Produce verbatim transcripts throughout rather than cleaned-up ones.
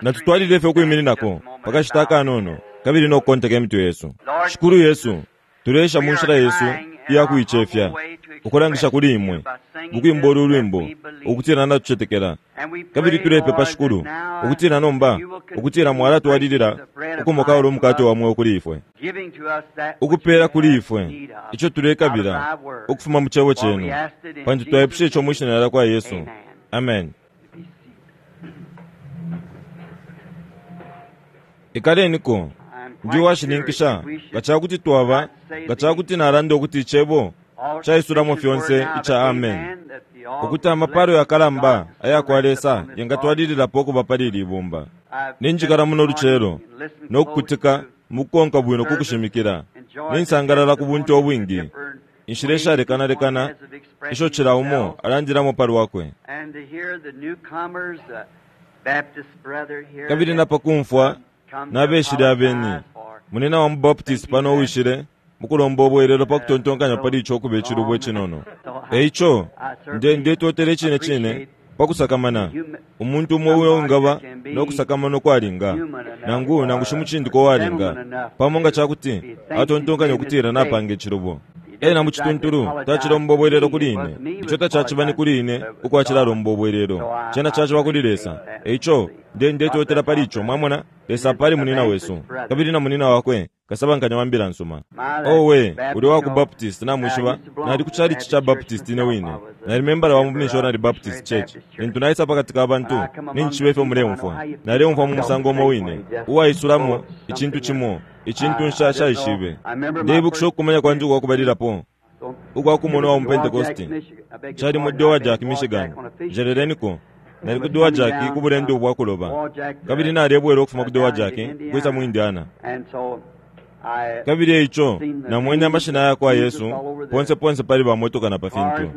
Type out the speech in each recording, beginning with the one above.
Natutwalile fye ukwimininako pakashita akanono kabili no kukonteka imitwe yesu. Shikulu Yesu, tuleesha mu nshila yesu iya kuicefya ukulangisha kuli imwe mukwimba ulu lwimbo ukutila natucetekela. Kabili tulepepa, Shikulu, ukutila nomba ukutila mwalatwalilila ukumokaula umukate wa mweo kuli ifwe, ukupela kuli ifwe ico tulekabila ukufuma mu cebo cenu, pantu twaipusha ico mwi shina lya kwa Yesu. Amen. Ikaleniko. Ndi uwashininkisha nga cakuti twaba, nga cakuti nalanda ukuti icebo caisulamo fyonse ica amen, ukuti amapalo yakalamba aya kwa Lesa yengatwalililapo ukuba pali ili ibumba. Ninjikala muno lucelo no kukutika mukukonka bwino ku kushimikila. Ninsangalala ku buntu ubwingi, inshila ishalekanalekana isho cila umo alandilamo pa lwakwe. Kabili napakumfwa nabeshile abeni, munina wa mu Baptist pano uwishile mukulomba ubwelelo pa kutontonkanya pali ico ukuba icilubo icinono. Eico nde ndetotela icine cine pa kusakamana umuntu umo uyo ungaba no kusakamana ukwalinga, nangu nangu shimucindiko uwalinga, pamo nga cakuti atontonkanya ukutila napanga icilubo. Ena mu cituntulu tacilomba ubwelelo kuli ine. Ico tacaciba ni kuli ine ukwacilалomba ubwelelo, cena caciba kuli Lesa. Eico nde ndetotela pali ico, mwamona. Lesa pali munina wesu kabili na munina wakwe kasabankanya wa mbila nsuma. Owe, uli wa ku Baptist, namwishiba, nali ku chalichi cha Baptist ine wine. Nali membala wa mu Missionary Baptist Church. Lintu naisa pakati ka bantu, ninjishiba ifyo muleumfwa. Naleumfwa mu musango umo wine, uwaisulamo icintu cimo, icintu nshaishibe. Ndeibukisha ukukumanya kwandi ukwa kubalilapo ukwa kumona wa mu Pentecost. Cali mu Dowagiac, Michigan. Njeleleniko. Nali ku Dowagiac ku bulendo bwa kuloba, kabili nalebwela ukufuma ku Dowagiac kwisa mu Indiana. Kabili eico namwene amashina ya kwa Yesu ponse ponse pali bamotoka na pa fintu.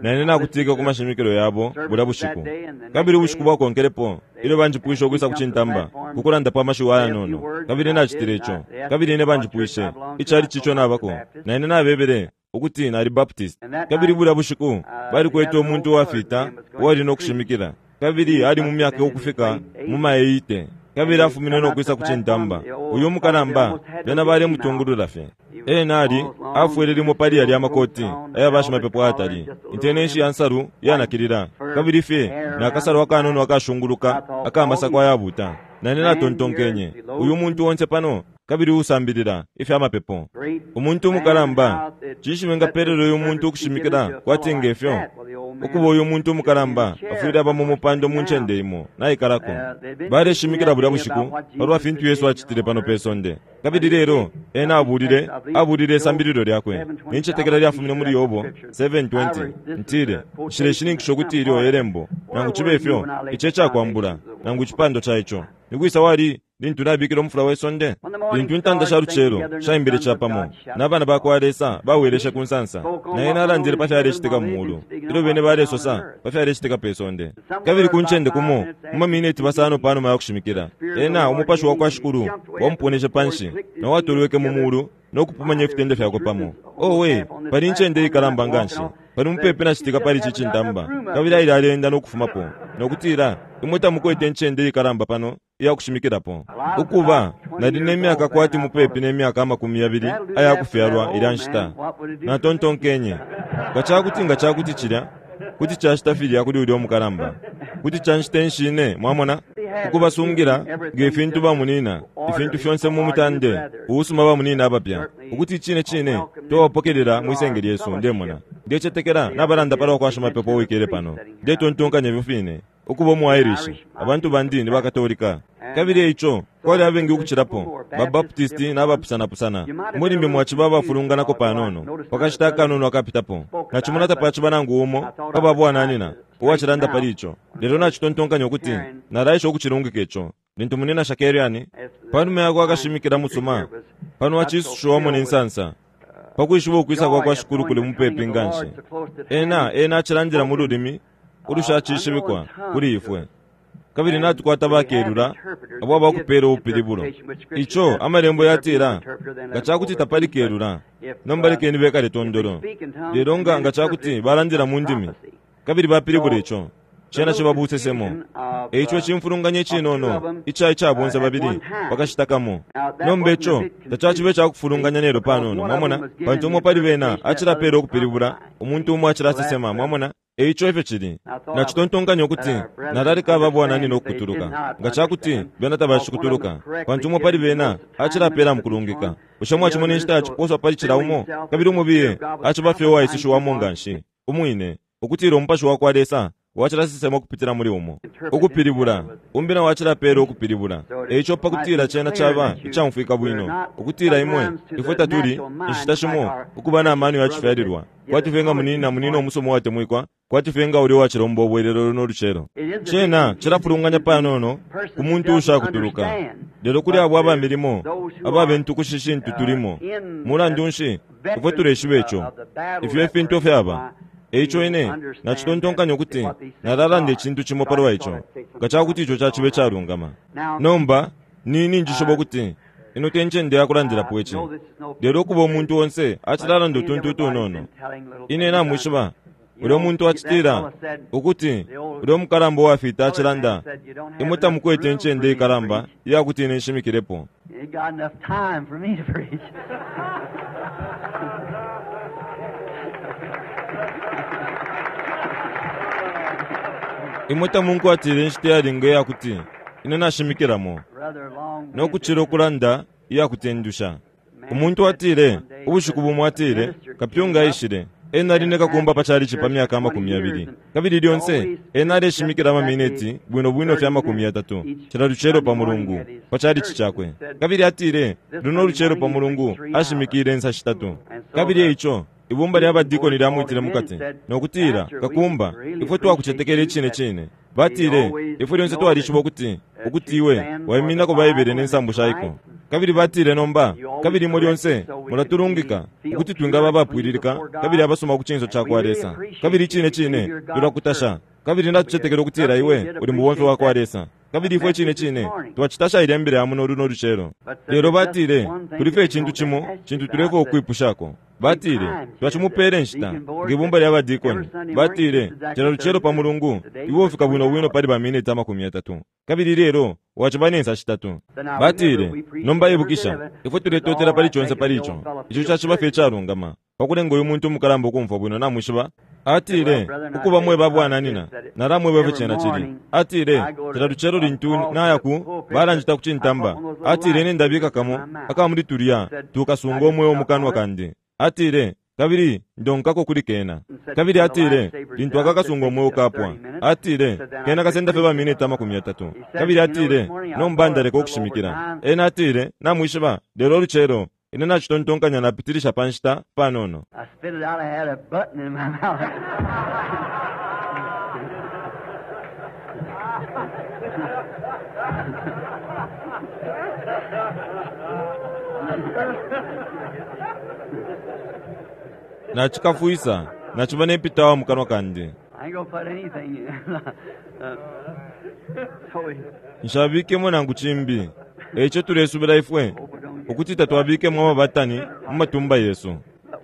Nane nakutika ku mashimikilo yabo bulya bushiku. Kabili ubushiku bwakonkelepo ilyo banjipwishe ukwisa ku cintamba kukulanda pa mashiwi ayanono, kabili nacitile ico. Kabili ine banjipwishe icali cico nabako, nane nabebele ukuti nali Baptist. Kabili bulya bushiku balikwete umuntu uwafita uwali no kushimikila, kabili ali mu myaka ukufika mu maeight, kabili afumine no kwisa ku cintamba. Uyu mukalamba bena balemutungulula fye. Ena ali afwele limo pali yalya amakoti aya bashimapepo atali, intenenshi ya nsalu yanakilila, kabili fye nakasalu akanono akashunguluka akamasako ayabuta. Nane natontonkenye, uyu muntu onse pano kabili usambilila ifya mapepo, umuntu umukalamba, cinshi bengapelela uyu muntu ukushimikila kwati ngefyo? Ukuba uyu muntu umukalamba afwile aba mu mupando mu ncende imo naikalako. Baleshimikila bulya bushiku palwa fintu Yesu acitile pano pe sonde. Kabili lelo ena abulile abulile isambililo lyakwe. Nincetekela lyafumine muli Yobo seven twenty. Ntile nshileshininkisha ukuti ilyo elembo, nangu cibe ifyo ico ecakwambula nangu icipando ca ico. Nikwisa wali lintu nabikile umufula we sonde? Lintu intanda sha lucelo shaimbile capamo, n'abana ba kwa Lesa baweleshe ku nsansa, naye nalandile pa fyalecitika mu mulu, ilyo bene balesosa pa fyalecitika pe sonde. Kabili ku ncende kumo mu mamineti basano panuma ya kushimikila, ena umupashi wa kwa Shikulu wamuponeshe panshi na watolweke mu mulu no kupumanya ifitende fyakwe pamo. Owe, pali ncende ikalamba nganshi, pali mupepi nacitika pali ici cintamba. Kabili aile alenda no kufumapo nokutila, imwe tamukwete ncende ikalamba pano iya kushimikilapo. Ukuba nali ne myaka kwati mupepi ne myaka amakumi yabili aya kufyalwa ilya nshita. Natontonkenye, nga cakuti nga cakuti cilya kuti cacita filya kuli ulya umukalamba, kuti canshita enshine, mwamona, ukubasungila nge fintu bamunina ifintu fyonse mu mutande uusuma bamunina abapya, ukuti icine cine twabapokelela mwisenge lyesu. Ndemona ndecetekela nabalanda palwa kwa shimapepo uwikele pano. Ndetontonkanya ifyo fine ukuba umu Irish, abantu bandi ni bakatolika. Kabili eico kwali abengi ukucilapo ba Baptist n'abapusanapusana. Mulimbi mwaciba abafulunganako panono pakashita akanono akapitapo. Nacimona tapaciba nangu umo pa babwananina uwacilanda pali ico, lelo nacitontonkanya ukuti nalaisha ukucilungika ico. Lintu munina Shakeriani panuma yakwe akashimikila musuma pano acisushiwamo ne nsansa pakwishiba ukwisa kwa kwa Shikulu kuli mupepi nganshi, ena ena acilandila mu lulimi ulushacishibikwa kuli ifwe. Kabili natukwata bakelula abo abakupela ubupilibulo. Ico amalembo yatila nga cakuti tapali kelula, nomba lekeni bekale tondolo. Lelo nga nga cakuti balandila mu ndimi kabili bapilibula ico, Cena ciba busesemo. Eico cimfulunganya icinono ica ica bonse babili pakashita kamo. Nomba ico tacacibe cakufulunganya nelo panono, mwamona, pantu umo pali bena acilapela ukupilibula, umuntu umo acilasesema, mwamona. Eico ifyo cili. Nacitontonkanya ukuti nalaleka ababwananyina ukukutuluka nga cakuti bena tabacikutuluka, pantu umo pali bena acilapela mukulungika. Bushe mwacimona inshita yaciposwa pali cila umo, kabili umubiye aciba fye uwaisushiwamo nga nshi umwine, ukutila umupashi wa kwa Lesa wacilasesema ukupitila muli umo ukupilibula, umbi na wacilapela ukupilibula. Eico pakutila cena caba icamfwika bwino ukutila imwe ifwe tatuli inshita shimo ukuba na mano yacifyalilwa kwati fye nga munina munina umusomo watemwikwa, kwati fye nga uli uwacilomba ubwelelo no lucelo. Cena cilafulunganya panono ku muntu ushakutuluka, lelo kuli abo abamilimo ababentukusha shintu tulimo. Mulandu nshi ifwe tuleshiba ico ifyo ifintu fyaba. Eico ine nacitontonkanya ukuti nalalanda icintu cimo palwa ico nga cakuti ico cacibe calungama. Nomba nini njishiba ukuti ino te ncende yakulandilapo ici, lelo ukuba umuntu onse acilalanda utuntu utunono. Ine namwishiba ulya muntu acitila ukuti ulya umukalamba uwafita acilanda, imwe tamukwete incende ikalamba iyakuti ine nshimikilepo. Imwe tamunkwatile inshita iyalinga iyakuti ine nashimikilamo nokucila ukulanda iyakutendusha. Umuntu atile ubushiku bumo atile kapyunga aishile ena ali nekakumba pa chalichi pa myaka amakumi yabili, kabili lyonse ena aleshimikila amamineti bwino bwino fya amakumi yatatu cila lucelo pa mulungu pa chalichi chakwe. Kabili atile luno lucelo pa mulungu ashimikile insa shitatu. Kabili eico ibumba lya badikoni lyamwitile mukati nokutila, kakumba, ifwe twakucetekela icine cine. Batile ifwe lyonse twalishiba ukuti ukuti iwe waiminako Baibele nensambu shaiko. Kabili batile nomba, kabili imwe lyonse mulatulungika ukuti twingaba abapwililika kabili abasoma ku cinso ca kwa Lesa. Kabili icine cine tulakutasha, kabili natucetekela ukutila iwe uli mubomfi wa kwa Lesa. Kabili ifwe icine cine twacitasha ilya mbila ya muno luno lucelo. Lelo batile kuli fye icintu cimo cintu tulefwa ukwipushako. Batile twacimupele nshita ngebumba lya badikoni. Batile cila lucelo pa mulungu iwe ufika bwino bwino pali baminiti amakumi yatatu, kabili lelo waciba nensa shitatu. Batile nomba ibukisha ifwe tuletotela pali conse pali ico, ico caciba fye icalungama pakulenga uyu muntu umukalamba ukumfwa bwino. Namwishiba atile ukuba mweba bwananina nalamweba ifyo cena cili. Atile cila lucelo lintu naya ku balanjita ku cintamba, atile ine ndabika kamo akamuli tulya tukasunga omweo mukanwa kandi. Atile kabili ndonkako kuli kena. Kabili atile lintu akakasunga omweo kapwa, atile kena kasenda fye baminiti amakumi yatatu. Kabili atile nomba ndaleka ukushimikila. Ena atile namwishiba lelo lucelo ine nacitontonkanya napitilisha pa nshita panono. I spit it out, I had a button in my mouth. Nachikafwisa nachiba nempitawa mukanwa kandi. I ain't gonna put anything in. Uh, so we Nshabikemo nangu chimbi. Eico tulesubila ifwe ukuti tatwabikemo amabatani mu matumba yesu.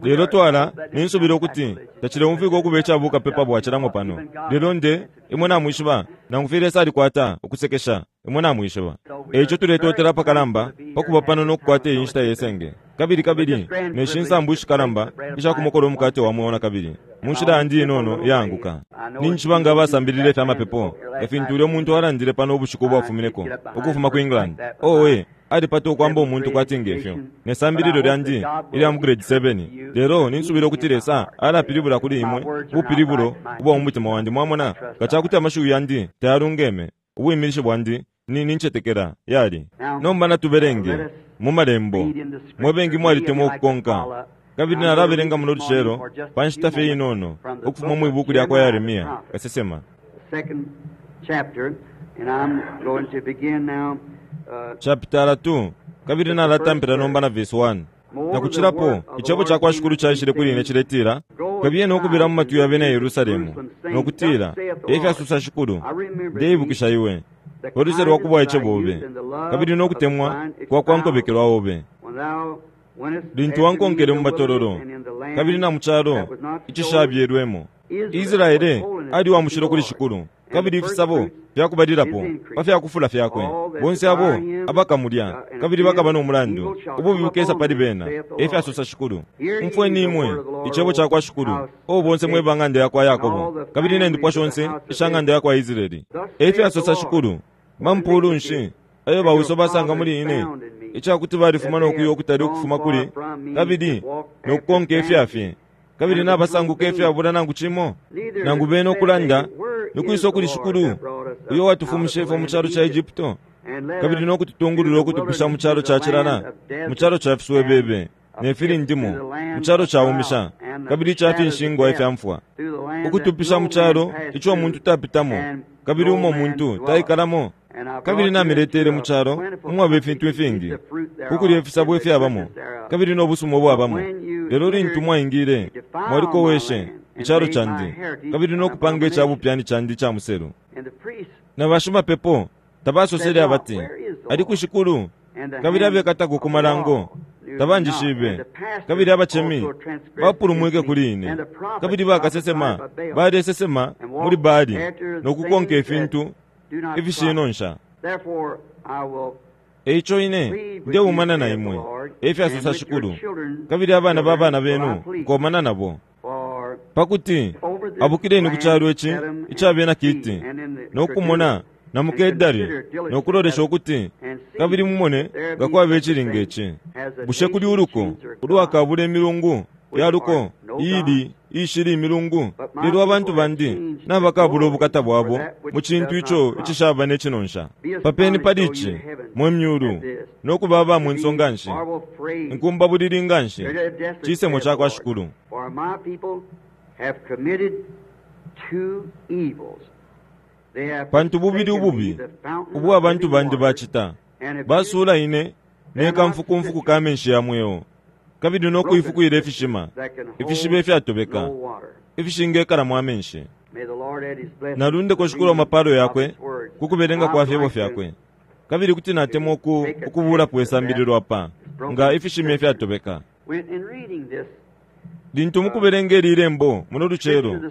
Lelo twala ninsubila ukuti tacileumfwika ukuba icabuka pepa bwacilamo pano. Lelo nde imwe namwishiba nangu fye Lesa alikwata ukusekesha imwe namwishiba. Eico tuletotela pakalamba pakuba pano nokukwata iyi nshita yesenge. Kabili kabili neshi nsambu ishikalamba ishakumokola umukate wa mweo na kabili mu nshila yandi inono iyaanguka. Ninjishiba nga abasambilile ifya mapepo efintu ulya umuntu alandile pano ubushiku ubwafumineko ukufuma ku England. Owe alipata ukwamba umuntu kwati ngefyo nesambililo lyandi ilya mu grade seven. Lelo ninsubila ukuti Lesa alapilibula kuli imwe ubupilibulo ubwa mu mutima wandi. Mwamona nga cakuti amashiwi yandi tayalungeme, ubwimilisho bwandi ni nincetekela yali. Nomba natubelenge mu malembo mwe bengi mwalitemwa ukukonka. Kabili nalabelenga muno lucelo pa nshita fye inono ukufuma mwi buku lya kwa Yeremia kasesema second chapter, and I'm going to begin now. Uh, chapter two, kabili nalatampila nomba na verse one. Nakucilapo icebo ca kwa Shikulu caishile kuli ine ciletila, kabiye nokubila mu matwi ya bena Yerusalemu nokutila, efyasusa Shikulu, ndeibukisha iwe oluse lwa kubwaice bobe kabili nokutemwa kwa kwa nkobekelwa obe, when thou Lintu wankonkele mu matololo kabili na mu calo icishabyelwemo. Israele ali wa mushilo kuli Shikulu, kabili ifisabo fyakubalilapo pa fyakufula fyakwe. Bonse abo abakamulya kabili bakaba no mulandu, ububi bukesa pali bena, efyasosa Shikulu. Umfweni imwe icebo ca kwa Shikulu, o bonse mwe ba ng'anda ya kwa Yakobo, kabili ne ndupwa shonse isha ng'anda ya kwa Israeli. Efyasosa Shikulu, mampulu nshi ayo bauso basanga muli ine, icakuti balifuma no kuya ukutali ukufuma kuli, kabili no kukonka ifyafye, kabili nabasanguka ifyabula nangu cimo, nangu bene ukulanda nokwisa kuli Shikulu uyo watufumishe ifwe mu calo ca Egypto, kabili nokututungulula ukutupisha mu calo ca cilala, mu calo ca fiswebebe ne filindimo, mu calo caumisha kabili ica finshingwa ifya mfwa, ukutupisha mu calo ico umuntu tapitamo kabili umo muntu taikalamo. Kabili namiletele mu calo umwaba ifintu ifingi, kukulya ifisabo ifyabamo kabili nobusuma ubwabamo. Lelo lintu mwaingile mwalikoweshe icalo candi kabili nokupanga icabupyani candi ica muselu. Na bashimapepo tabasosele abati, ali ku Shikulu, kabili abekatako ku malango tabanjishibe, kabili abachemi bapulumwike kuli ine, kabili bakasesema balesesema muli Baali nokukonka ifintu ifishinonsha. Eico ine ndeumana na imwe, efyasosa Shikulu, kabili abana ba bana benu nkomana nabo, pakuti abukileni ku calo ici icabena Kiti, nokumona na mu Kedari, nokulolesha ukuti kabili mumone nga kwaba icilinga ici. Bushe kuli uluko ulwakabula imilungu yaluko iili ishili imilungu? Lelo abantu bandi nabakabula ubukata bwabo mu cintu ico icishaba ne cinonsha. Papeni pali ici mwe myulu, nokuba aba mwenso nganshi, inkumba bulili nganshi, cisemo ca kwa Shikulu. Pantu bubili ububi ubwa abantu bandi bacita, basuula ine ne kamfukumfuku ka menshi ya mweo, kabili nokuifukwila ifishima, ifishiba ifyatobeka, ifishingekala amenshi. Nalundeko Shikulu amapalo yakwe kukubelenga kwa fyebo fyakwe, kabili kuti natemwa ukubulapo isambililo apa nga ifishima ifyatobeka. Lintu mukubelenga ili ilembo muno lucelo,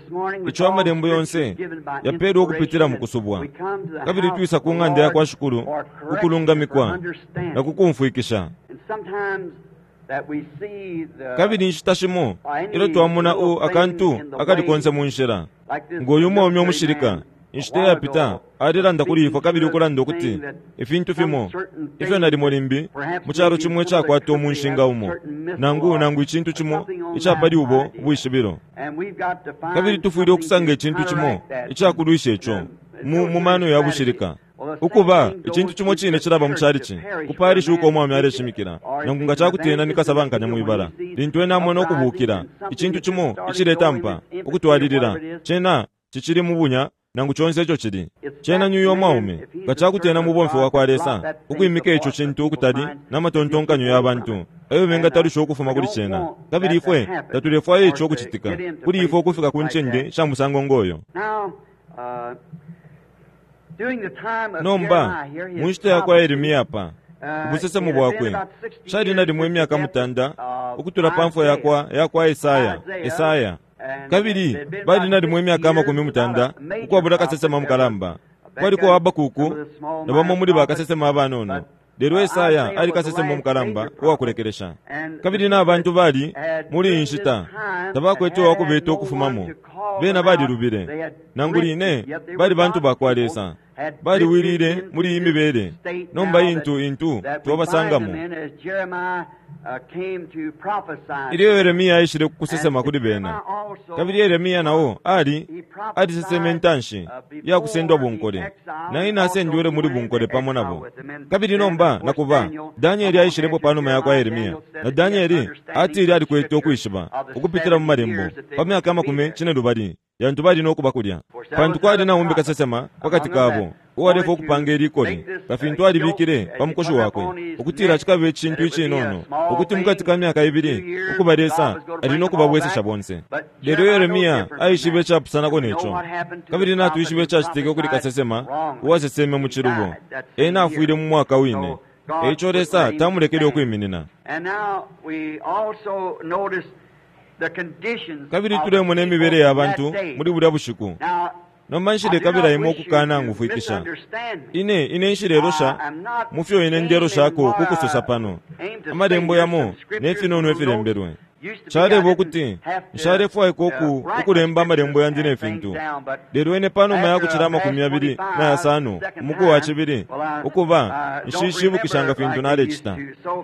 ico amalembo yonse yapeelwa ukupitila mu kusubwa, kabili twisa ku ng'anda ya kwa Shikulu kukulungamikwa na kukumfwikisha. Kabili inshita shimo ilyo twamona u akantu akali konse mu nshila, ngoyu umwaume umushilika inshita yapita alilanda kuli ifwe kabili ukulanda ukuti ifintu fimo ifyo nalimo limbi mu calo cimo icakwata umunshinga umo, nangu nangu icintu cimo icapali ubo ubwishibilo. Kabili tufwile ukusanga icintu cimo icakulwisha ico mu mu mano ya bushilika. Ukuba icintu cimo cine cilaba mu calici kupalisha uko umwami aleshimikila, nangu nga cakuti ena nikasabankanya mwibala, lintu ena amona ukubukila icintu cimo iciletampa ukutwalilila, cena cicili mu bunya nangu conse ico cili. Cena nyuyo mwaume nga cakuti ena mubomfi wa kwa Lesa, ukwimika ico cintu ukutali n'amatontonkanyo ya bantu ayo bengatalusha ukufuma kuli cena. Kabili ifwe tatulefwaya ico ukucitika kuli ifwe ukufika ku ncende sha musango ngoyo. Nomba mu nshita ya kwa Yeremia apa, ubusesemo bwakwe cali nalimo imyaka mutanda ukutula pa mfwa yakwa yakwa Esaya Esaya, kabili bali nalimo imyaka amakumi mutanda ukwabula kasesema mukalamba. Kwaliko Habakuku na bamo muli bakasesema abanono, lelo Esaya ali kasesema mukalamba uwakulekelesha. Kabili n'abantu bali muli iyi nshita tabakwete uwakubeta ukufumamo, bena balilubile, nangu line bali bantu bakwa Lesa, baliwilile muli iyi mibele. Nomba intu intu twabasangamo. Ilyo Yeremia aishile kukusesema kuli bena, kabili Yeremia nao ali aliseseme intanshi ya kusendwa bunkole, na ine asendwele muli bunkole pamo nabo. Kabili nomba nakuba Danieli aishilepo panuma ya kwa Yeremia, na Danieli atile alikwete ukwishiba ukupitila mu malembo pa myaka amakumi cine lubali yantu bali nokuba kulya, pantu kwali naumbi kasesema pakati kabo uwalefa ukupanga ilikoli kafintu alibikile pa mukoshi wakwe ukutila cikabe icintu icinono, ukuti mukati ka myaka ibili ukuba Lesa ali nokubabwesesha bonse. Lelo Yeremia aishibe icapusanako neco, kabili natwishibe icacitike kuli kasesema uwaseseme mu cilubo. Ena afwile mu mwaka wine Eico Lesa tamulekele ukwiminina. Kabili tulemona imibele ya bantu muli bulya bushiku. Nomba nshilekabila imwe ukukana ngufwikisha. Ine, ine nshilelosha mufyo ine ndeloshako kukusosa pano. Amalembo yamo ne finono ifilembelwe. Caleba ukuti nshalefwaikwa uku ukulemba amalembo yandi ne fintu. Lelo ine panuma ya kucila amakumi yabili na yasano umuku wa cibili ukuba nshishibukishanga fintu nalecita.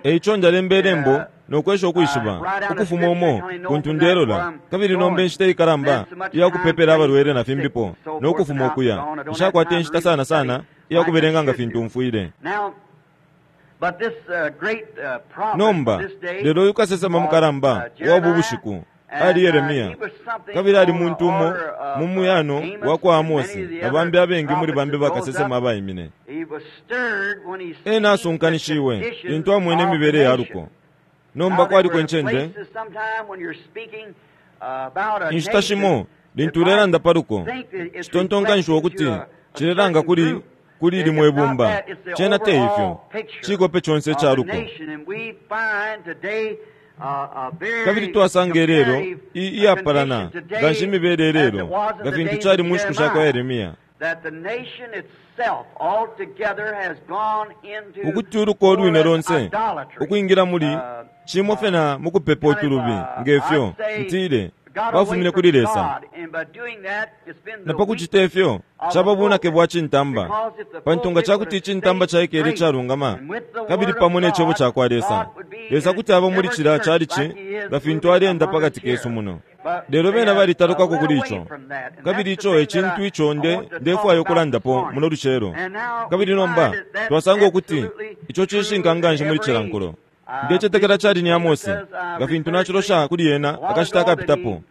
Eico njalemba ilembo no kwesha ukwishiba ukufuma umo kuntu ndelola, kabili nomba inshita ikalamba iya kupepela abalwele na fimbipo no kufuma ukuya. Nshakwata inshita sana sana iya kubelenga nga fintu mfwile. Nomba lelo uyu kasesema mukalamba wa ubu bushiku ali Yeremia, kabili ali muntu umo mu muyano wa kwa Amosi na bambi abengi muli bambi bakasesema abaimine. Ena asunkanishiwe lintu amwene imibele ya luko. Nomba kwaliko incende inshita shimo lintu ulelanda pa luko citontonkanishiwa ukuti cilelanga kuli kuli limwe ibumba. Cena te ifyo, cikope conse ica luko. Kabili twasanga ilelo iyapalana nganshi imibele ilelo nga fintu cali mu nshiku sha kwa Yeremia, ukuti uluko ulwine lonse ukwingila muli cimo fye na mukupepa utulubi ngefyo ntile bafumine kuli Lesa. Na pa kucita ifyo caba bunake bwa cintamba, pantu nga cakuti icintamba caikele calungama kabili pamo ne cebo ca kwa Lesa, Lesa kuti aba muli cila calici nga fintu alienda pakati kesu muno. Lelo bena balitalukako kuli ico, kabili ico e cintu ico nde ndefwaya ukulandapo muno lucelo. Kabili nomba twasanga ukuti ico cishinka nganshi muli cila nkulo. Ndecetekela cali ni Amosi, nga fintu nacilosha kuli ena akashita akapitapo,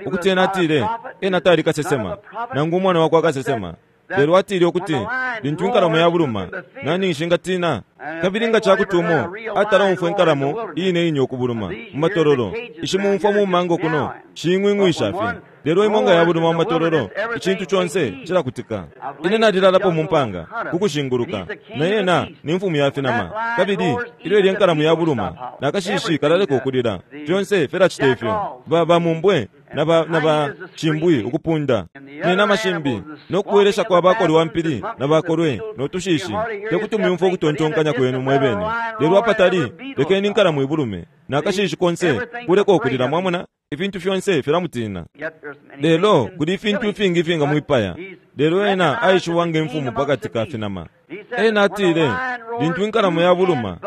ukuti ena atile ena tali kasesema nangu umwana wakwa kasesema, lelo atile ukuti lintu inkalamo yabuluma nani nshingatina? Kabili nga cakuti umo atala umfwa inkalamo iine ine ukubuluma mu matololo, ishimumfwa mu mango kuno shing'wing'wisha fye, lelo imo nga yabuluma mu matololo icintu conse cilakutika. Ine nalilalapo mu mpanga kukushinguluka, na yena ni mfumu ya finama, kabili ilyo ilya inkalamo yabuluma nakashishi kalaleka ukulila, fyonse filacita ifyo. Ba bamumbwe na ba na ba cimbwi ukupunda ne nama shimbi no kuwelesha kwa bakolwe wa mpili na bakolwe no tushishi tekuti muyumfwe ukutontonkanya kwenu mwebene. Lelo apatali lekeni inkalamo ibulume nakashishi konse kuleka ukulila, mwamona ifintu fyonse filamutina. Lelo kuli ifintu ifingi ifinga mwipaya, lelo ena aishiwa nge mfumu pakati ka finama. Ena atile lintu inkalamo yabuluma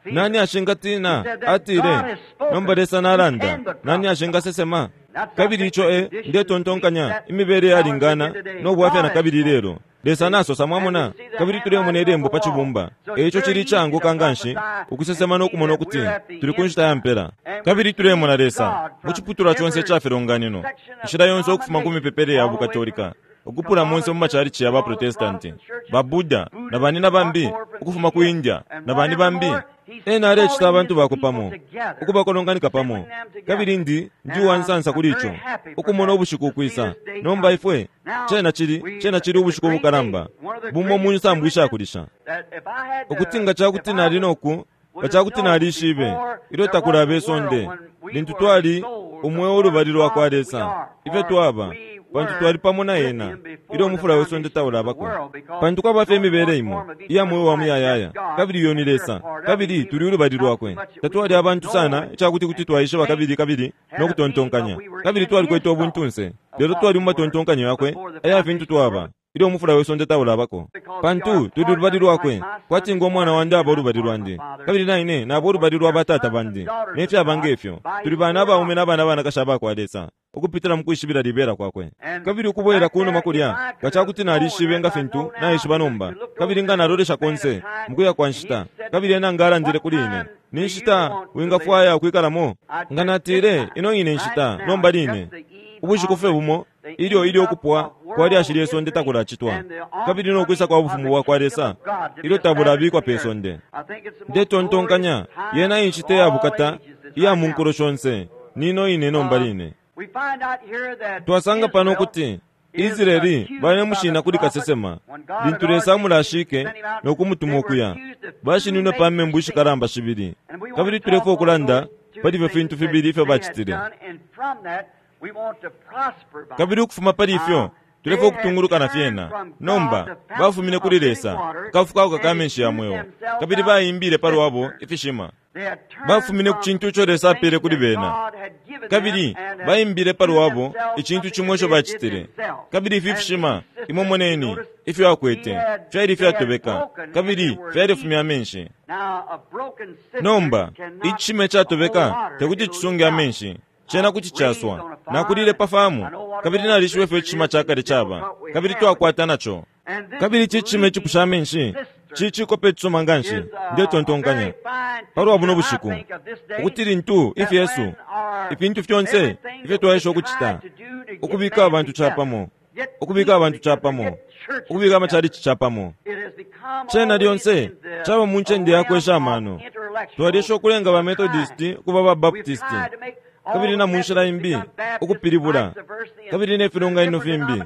nani ashingatina? Atile nomba Lesa nalanda, nani ashingasesema? Kabili ico e ndetontonkanya imibele yalingana no bwafya na kabili lelo. Lesa nasosa, mwamona, kabili tulemona ilembo pa cibumba. Eico cili icanguka nganshi ukusesema no kumona ukuti tuli ku nshita ya mpela. Kabili tulemona Lesa mu ciputulwa conse ica filonganino, inshila yonse ukufuma ku mipepele ya Bukatolika ukupula monse mu macalici ya baprotestanti, ba Buddha na bani na bambi ukufuma ku India na bani bambi. Ena alecita abantu bakwe pamo, ukubakolonganika pamo. Kabili ndi ndi uwansansa kuli ico, ukumona ubushiku ukwisa. Nomba ifwe cena cili cena cili ubushiku ubukalamba bumo mu nsambu ishakulisha, ukuti nga cakuti nali noku nga cakuti nalishibe ilyo takulaba isonde, lintu twali umweo ulubali lwa kwa Lesa, ifyo twaba pantu twali pamo na ena ilyo umufula we sonde taulabako. Pantu kwaba fye imibele imo iya mweo wa muyayaya, kabili iyo ni Lesa, kabili tuli ulubali lwakwe. Tatwali abantu sana icakuti kuti twaishiba kabili kabili no kutontonkanya, kabili twalikwete ubuntunse, lelo twali mu matontonkanyo yakwe aya fintu twaba ilyo umufula we sonde taulabako. Pantu tuli ulubali lwakwe, kwati ngo mwana wandi aba ulubali lwandi, kabili naine naba ulubali lwa batata bandi, ne fyaba ngefyo. Tuli bana abaume na bana banakashi abakwa Lesa ukupitila mu kwishibila libela kwakwe. Kabili ukubwela kunuma kulya nga cakuti nalishibe nga fintu naishiba nomba, kabili nga nalolesha konse mukuya kwa nshita, kabili ena nga alandile kuli ine, ni nshita wingafwaya ukwikalamo? Nga natile ino ine nshita nomba line ubushiku fye bumo ilyo ilyo ukupwa kwa lyashi lye sonde takulacitwa, kabili no kwisa kwa bufumu bwa kwa Lesa ilyo tabulabikwa pe sonde. Ndetontonkanya yena inshita ya bukata iya mu nkulo shonse nino ine nomba line. Twasanga pano ukuti Israeli balemushina kuli kasesema lintu Lesa amulashike no kumutuma ukuya. Bashininwe pa membu ishikalamba shibili, kabili tulefwaya ukulanda pali ifyo fintu fibili ifyo bacitile. Kabili ukufuma pali ifyo tulefwaya ukutunguluka na fyena. Nomba bafumine kuli Lesa akafukauka ka menshi ya mweo, kabili baimbile palwabo ifishima. Bafumine ku cintu ico Lesa apele kuli bena, kabili baimbile palwabo icintu cimo ico bacitile. Kabili ifi fishima, imwe moneni ifyo akwete, fyali ifyatobeka kabili fyalifumya amenshi. Nomba icishima icatobeka tekuti cisunge amenshi, cena kuti caswa. Nakulile pa famu, kabili nalishiba ifyo icishima ca kale caba, kabili twakwata naco. Kabili ici cishima icipusha amenshi cicikope icisuma nganshi. Ndetontonkanya palwa buno bushiku ukuti lintu ifyesu ifintu fyonse ifyo twaesha ukucita, ukubika abantu capamo, ukubika abantu capamo, ukubika amachalichi capamo, cena lyonse caba mu ncende yakwesha amano. Twalesha ukulenga ba Methodist ukuba ba Baptist, kabili na munshila imbi ukupilibula, kabili ne filonganino fimbi,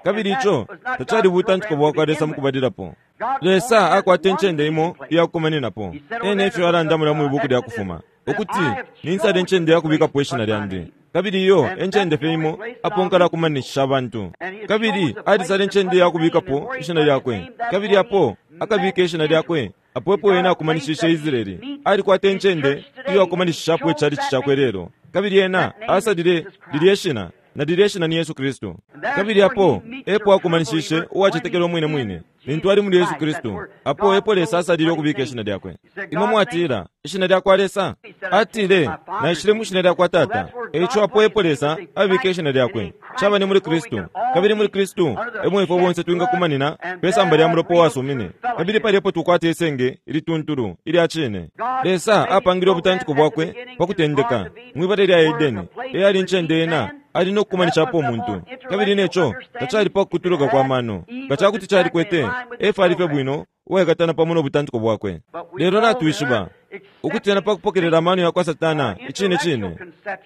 kabili ico tacali butantiko bwakwa Lesa mukubalilapo. Lesa akwata incende imo iyakukumaninapo. Ena efyo alanda mulya mwibuku lya Kufuma ukuti ninsala incende yakubikapo ishina lyandi, kabili iyo encende fye imo apo nkalakumanishisha abantu. Kabili alisala incende yakubikapo ishina lyakwe, kabili apo akabika ishina lyakwe apo epo ena akumanishishe Israeli. Alikwata incende iyo akumanishishapo icalici cakwe lelo, kabili ena asalile lilye shina, na lilye shina ni Yesu Kristu. Kabili apo epo akumanishishe uwacetekela umwine mwine lintu ali muli Yesu Kristu, apo epo Lesa asalile ukubika ishina lyakwe. Imwe mwatila ishina lyakwa Lesa? Atile, naishile mu shina lyakwa Tata. Eico apo epo Lesa abika ishina lyakwe caba ni muli Kristu, kabili muli Kristu emwe ifwe bonse twingakumanina pe samba lya mulopa uwasumine, kabili pali epo tukwata isenge ilituntulu ilya cine. Lesa apangile ubutantiko bwakwe pa kutendeka mwibala lya Edeni, eyali incende ena ali no kukumanishapo umuntu, kabili neco tacali pa kukutuluka kwa mano. Nga cakuti calikwete, Efa alife bwino uwaikatana pamo no butantiko bwakwe. Lelo natwishiba ukuti ena pa kupokelela amano yakwa Satana icine cine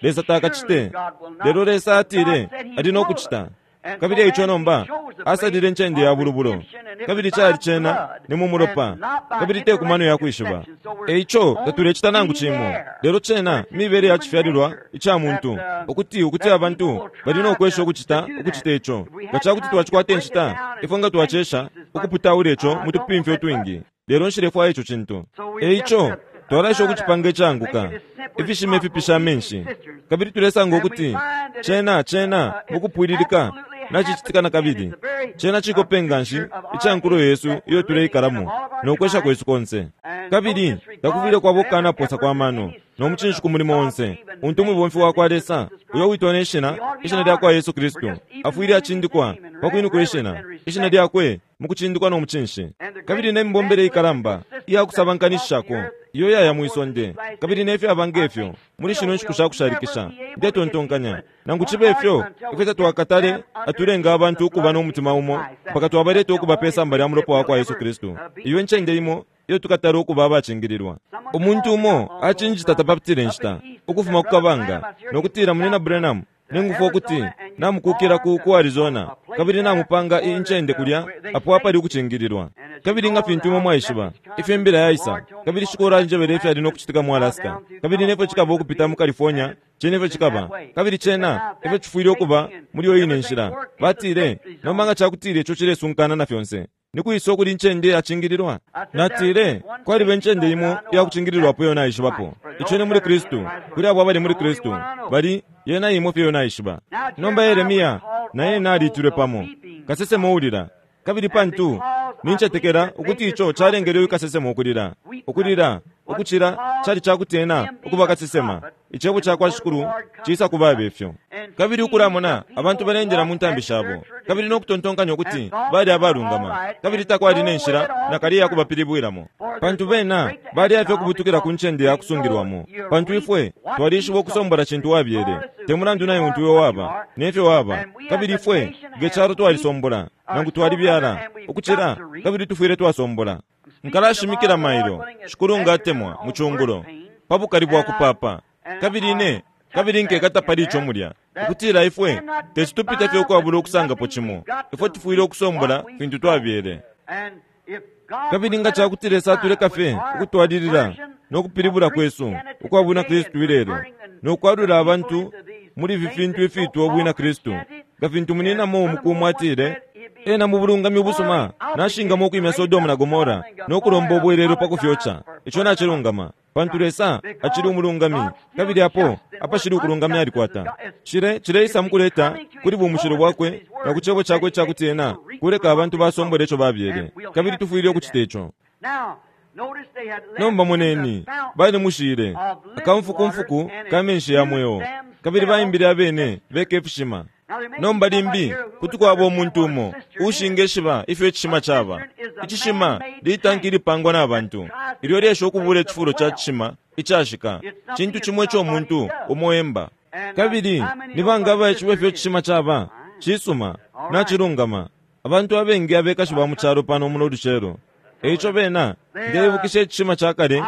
Lesa takacite, lelo Lesa atile ali no kucita. Kabili eico nomba asalile incende ya bulubulo, kabili cali cena ni mu mulopa, kabili te ku mano yakwishiba. Eico tatulecita nangu cimo, lelo cena mibele ya cifyalilwa ica muntu ukuti ukuti abantu bali no kwesha ukucita ukucita ico. Nga cakuti twacikwata inshita, ifwe nga twacesha ukuputaula ico mu tupimfya utwingi, lelo nshilefwaya ico cintu. Eico twalaesha ukucipanga icanguka, ifishima ifipisha amenshi, kabili tulesanga ukuti cena cena mukupwililika nacicitika na kabili. Cena cikope nganshi ica nkulo yesu iyo tuleikalamo no kwesha kwesu konse. Kabili takufwile kwaba ukukanaposa kwa mano no mucinshi ku mulimo onse untu umubomfi wakwa Lesa uyo witwa ne shina, ishina lyakwa Yesu Kristu, afwile acindikwa pa kwinukula ishina, ishina lyakwe mukucindikwa no mucinshi. Kabili ne mibombele ikalamba iya kusabankanishishako iyo yaya mwisonde, kabili nefyo aba ngefyo muli shino nshiku shakushalikisha. Ndetontonkanya nangu cibe ifyo ifwe tatwakatale atulenga abantu ukuba no mutima umo mpaka twabaleta ukuba pe samba lya mulopa wakwa Yesu Kristu. Iyo ncende imo iyo tukatala ukuba abacingililwa. Umuntu umo acinjita tapapitile nshita ukufuma ku kabanga nokutila, Munina Branham, ningufwa ukuti namukukila ku ku Arizona, kabili namupanga incende kulya apo apali ukucingililwa. Kabili nga fintu imwe mwaishiba ifyo imbila yaisa, kabili shikulu anjebele ifyo ali no kucitika mu Alaska, kabili nefyo cikaba ukupita mu California, cena ifyo cikaba, kabili cena ifyo cifwile ukuba muli iyo ine nshila. Batile, nomba nga cakutile ico cilesunkana na fyonse, nikwisa ukuli incende yacingililwa? Natile, kwaliba incende imo iyakucingililwapo iyo naishibapo, ico ni muli Kristu. Kuli abo abali muli Kristu bali yena imo fye iyo naishiba. Nomba Yeremia naye naliitilwe pamo kasesema uulila, kabili pantu nincetekela ukuti ico calengele uyu kasesema ukulila, ukulila ukucila cali cakuti ena ukuba kasesema. Icebo cakwa Shikulu cisa kuba ifyo. Kabili ukulamona abantu balendela mu ntambi shabo, kabili no kutontonkanya ukuti bali abalungama, kabili takwali ne nshila nakali yakubapilibwilamo, pantu bena bali afye ukubutukila ku ncende yakusungilwamo. Pantu ifwe twalishiba ukusombola cintu wabyele, te mulandu naye untu iwe waba nefyo waba, kabili ifwe nge calo twalisombola nangu twalibyala ukucila, kabili tufwile twasombola. Nkalashimikila mailo Shikulu ngatemwa mu cungulo pa bukali bwa kupapa, kabili ine kabili nkekata pali ico mulya. Ukutila ifwe teti tupite fye ukwabula ukusangapo cimo, ifwe tufwile ukusombola fintu twabyele. Kabili nga cakuti Lesa atuleka fye ukutwalilila no kupilibula kwesu ukwa bwina Kristu ilelo, no kwalula abantu muli ifi fintu ifiitwa ubwina Kristu, nga fintu muninamo umukumu atile, ena mu bulungami ubusuma nashingamo ukwimya Sodomu na Gomora no kulomba ubwelelo pa kufyoca. Ico nacilungama, pantu Lesa acili umulungami, kabili apo apashili ukulungami alikwata. Cile cileisa mukuleta kuli bumushilo bwakwe na ku cebo cakwe icakuti ena kuleka abantu basombole ico babyele, kabili tufwile ukucita ico. Nomba moneni, balimushile akamfukumfuku ka menshi ya mweo, kabili baimbile abene beka ifishima. Nomba limbi kuti kwaba umuntu umo ushingeshiba ifyo icishima caba. Icishima litanki ilipangwa na bantu ilyo lyesha ukubula icifulo ca cishima icashika, cintu cimo ico umuntu umo emba. Kabili ni banga abaishiba ifyo icishima caba? Cisuma, nacilungama. Abantu abengi abekashi ba mu calo pano muno lucelo. Eico bena ndeibukisha icishima ca kale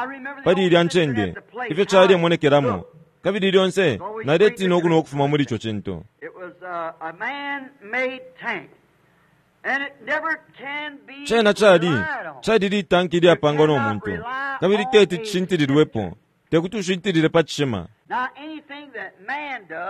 pali ilya ncende, ifyo calemonekelamo, kabili lyonse naletina ukunwa ukufuma muli ico cintu. Cena cali cali litanki ilyapangwa no muntu, kabili teti cishintililwepo, tekuti ushintilile pa cishima.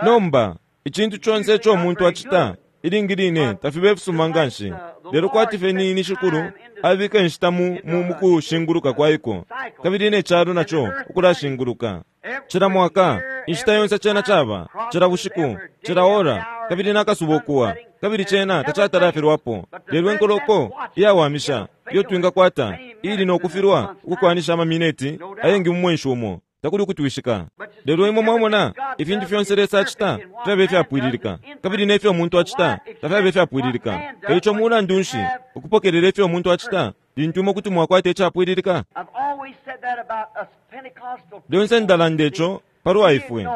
Nomba icintu conse ico umuntu acita ilingi line tafibe ifisuma nganshi, lelo kwati fye ni Shikulu abika inshita mu mukushinguluka kwaiko, kabili ne calo naco ukulashinguluka. Cila mwaka inshita yonse cena caba, cila bushiku, cila ora, kabili nakasuba ukuwa, kabili cena tacatalafilwapo. Lelo enkoloko iyawamisha iyo twingakwata ili nokufilwa ukukwanisha amamineti ayengi mu mwenshi umo, takuli ukutwishika. Lelo imwe mwamona ifintu fyonse Lesa acita fyabe ifyapwililika, kabili nefyo umuntu acita tafyabe ifyapwililika. Eico mulandu nshi ukupokelela ifyo umuntu acita lintu imwe kuti mwakwata icapwililika? Lyonse ndalanda ico palwa ifwe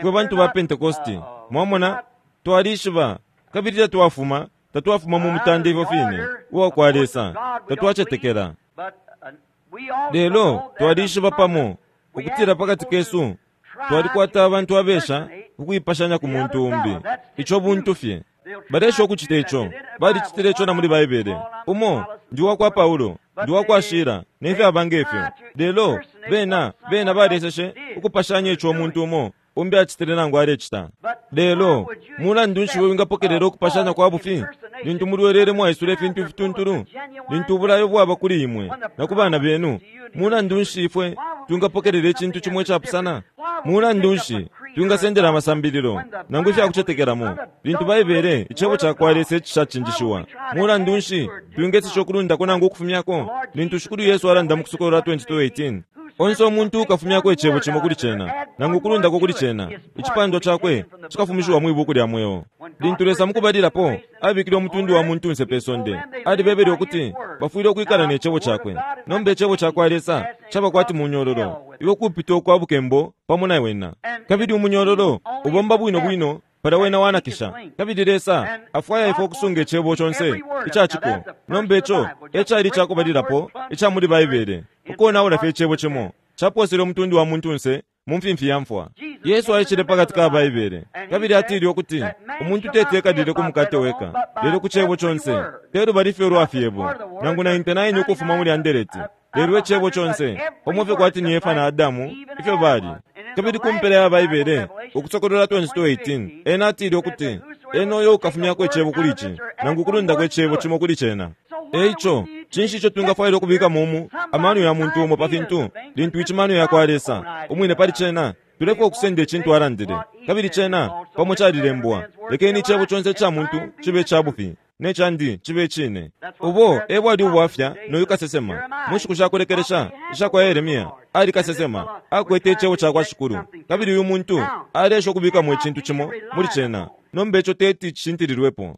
fwe bantu ba Pentekosti. Mwamona, twalishiba, kabili tatwafuma tatwafuma mu mutande ifyo fine uwa kwa Lesa, tatwacetekela. Lelo twalishiba pamo ukutila pakati kesu twalikwata abantu abesha ukuipashanya ku muntu umbi. Ico buntu fye. Balesha ukucita ico, balicitile ico na muli Baibele. Umo ndi wa kwa Paulo, ndi wa kwa Shila, nefyo aba ngefyo. Lelo bena bena baleseshe ukupashanya ico umuntu umo umbi acitile nangu alecita. Lelo mulandu nshi we wingapokelela ukupashanya kwa bufi lintu mulwelele mwaisula ifintu ifituntulu, lintu ubulayo bwaba kuli imwe na ku bana benu? Mulandu nshi ifwe twingapokelela icintu cimo icapusana? Mulandu nshi twingasendela amasambililo nangu ifyakucetekelamo lintu Baibele icebo ca kwa Lesa icishacinjishiwa? Mulandu nshi twingesesha ukulundako nangu ukufumyako lintu Shikulu Yesu alanda mu Kusokolola twenty-two eighteen? Onse umuntu ukafumyako icebo cimo kuli cena nangu ukulundako kuli cena, icipandwa cakwe cikafumishiwa mwi buku lya mweo. Lintu Lesa mukubalilapo abikile umutundu wa muntunse pe sonde, alibebele ukuti bafwile ukwikala ne cebo cakwe. Nomba icebo ca kwa Lesa caba kwati munyololo, iwe kupita ukwa bukembo pamo na wena, kabili umunyololo ubomba bwino bwino pala wena wanakisha. Kabili Lesa afwaya ifwe ukusunga icebo conse icaciko. Nomba ico ecali icakubalilapo ica muli Baibele, ukonaula fye icebo cimo caposele umutundu wa muntunse mu mfimfi ya mfwa. Yesu aishile pakati ka Baibele, kabili atile ukuti umuntu teti ekalile ku mukate weka, lelo ku cebo conse. Telubali fye ulwa fyebo nangu ninety-nine ukufuma muli andereti, lelo icebo conse, pamo fye kwati ni Efa na Adamu ifyo bali. Kabili ku mpela ya Baibele, Ukusokolola twenty-two eighteen, ena atile ukuti ena uyo ukafumyako icebo kuli ici nangu ukulundako icebo cimo kuli cena. Eico cinshi ico twingafwaila ukubika mumu amano ya muntu umo pa fintu lintu icimano ya kwa Lesa umwine pali cena? Tulefwa ukusenda icintu alandile, kabili cena pamo calilembwa. Lekeni icebo conse ica muntu cibe ica bufi, ne candi cibe icine. Ubo e bwali ubwafya noyu kasesema mu nshiku shakulekelesha isha kwa Yeremia. Ali kasesema, akwete icebo ca kwa Shikulu, kabili uyu muntu alesha ukubikamo icintu cimo muli cena. Nomba ico teti cishintililwepo.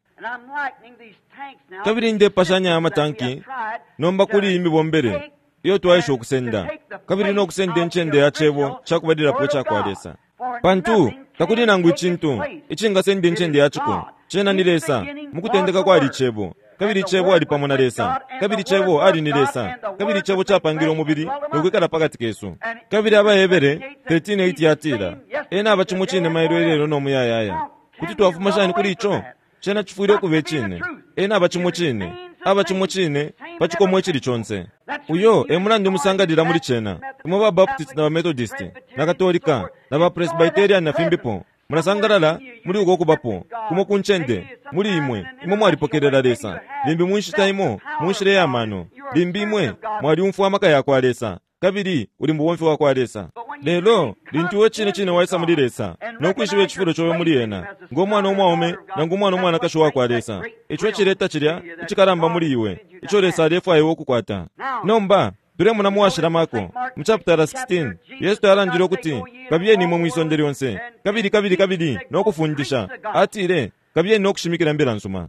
Kabili ndepashanya amatanki nomba kuli imibombele iyo twaisha ukusenda, kabili no kusenda incende ya cebo cakubalilapo ica kwa Lesa. Pantu takuli nangu icintu icingasenda incende ya ciko, cena ni Lesa. Mukutendeka kwali icebo, kabili icebo ali pamo na Lesa, kabili icebo ali ni Lesa, kabili icebo capangile umubili no kwikala pakati kesu. Kabili Abahebere thirteen eight yatila, ena aba cimo cine mailo ilelo no muyayaya. Kuti twafuma shani kuli ico? Cena cifwile ukuba icine. Ena aba cimo cine, aba cimo cine pa cikomo icili conse. Uyo e mulandu musangalila muli cena. Imwe ba Baptist na ba Methodist na Katolika na ba Presbyterian na fimbipo, mulasangalala muli uko kubapo kumo ku ncende muli imwe. Imwe mwalipokelela Lesa limbi mu nshita imo mu nshila ya mano, limbi imwe mwaliumfwa amaka ya kwa Lesa kabili uli mubomfi wa kwa Lesa. Lelo lintu iwe cine cine waisa muli Lesa no kwishiba icifulo cobe muli ena ngo mwana umwaume nangu umwana umwanakashi wa kwa Lesa, ico ecileta cilya icikalamba muli iwe ico Lesa alefwaya iwe ukukwata. Nomba tulemona mu washila Marko mu chapter sixteen, Yesu alandile ukuti kabiyeni imwe mwisonde lyonse kabili kabili kabili no kufundisha. Atile kabiyeni no kushimikila imbila nsuma.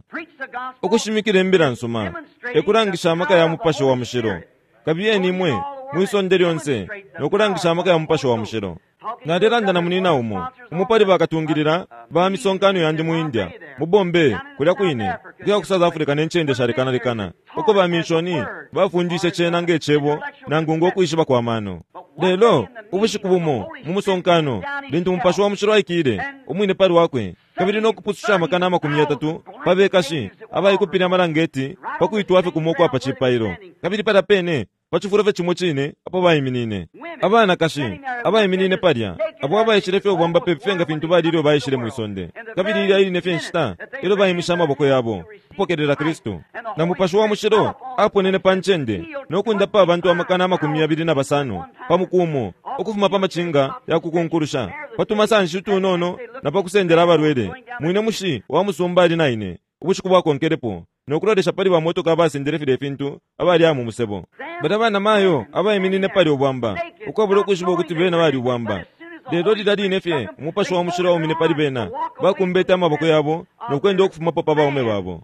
Ukushimikila imbila nsuma ekulangisha amaka ya Mupashi wa Mushilo. Kabiyeni imwe mwisonde lyonse no kulangisha amaka ya Mupashi wa Mushilo. Nalelanda na munina umo umupali bakatungilila ba misonkano yandi mu India, mu Bombay, kulya kwine ukuya ku South Africa ne ncende shalekanalekana, uko ba mishoni bafundishe cena ngecebo nangu ngokwishiba kwa mano. Lelo ubushiku bumo mu musonkano lintu Mupashi wa Mushilo aikile umwine pali wakwe kabili no kupususha amakana amakumi yatatu pabekashi abaikupile amalangeti pakwitwa fye kumo kwa pa cipailo, kabili palya pene pa cifulo fye cimo cine apo baiminine abanakashi abaiminine palya abo abaishile fye ubwamba pepi nga fintu bali ilyo baishile mwisonde, kabili ilya iline fye nshita ilyo baimisha amaboko yabo kupokelela Kristu. Na Mupashi wa Mushilo aponene pa ncende no kundapa abantu amakana amakumi yabili na basano pa mukumo ukufuma pa macinga ya kukunkulusha pa tumasanshi utunono na pa kusendela abalwele. Mwine mushi wa musumba ali na ine ubushiku bwakonkelepo no kulolesha pali bamotoka abasendele file fintu abali amu musebo. Bata bana mayo abaiminine pali ubwamba ukwabula ukwishiba ukuti bena bali ubwamba. Lelo lilya line fye Umupashi wa Mushilo waumine pali bena, bakumbete amaboko yabo no kwenda ukufumapo pa baume babo.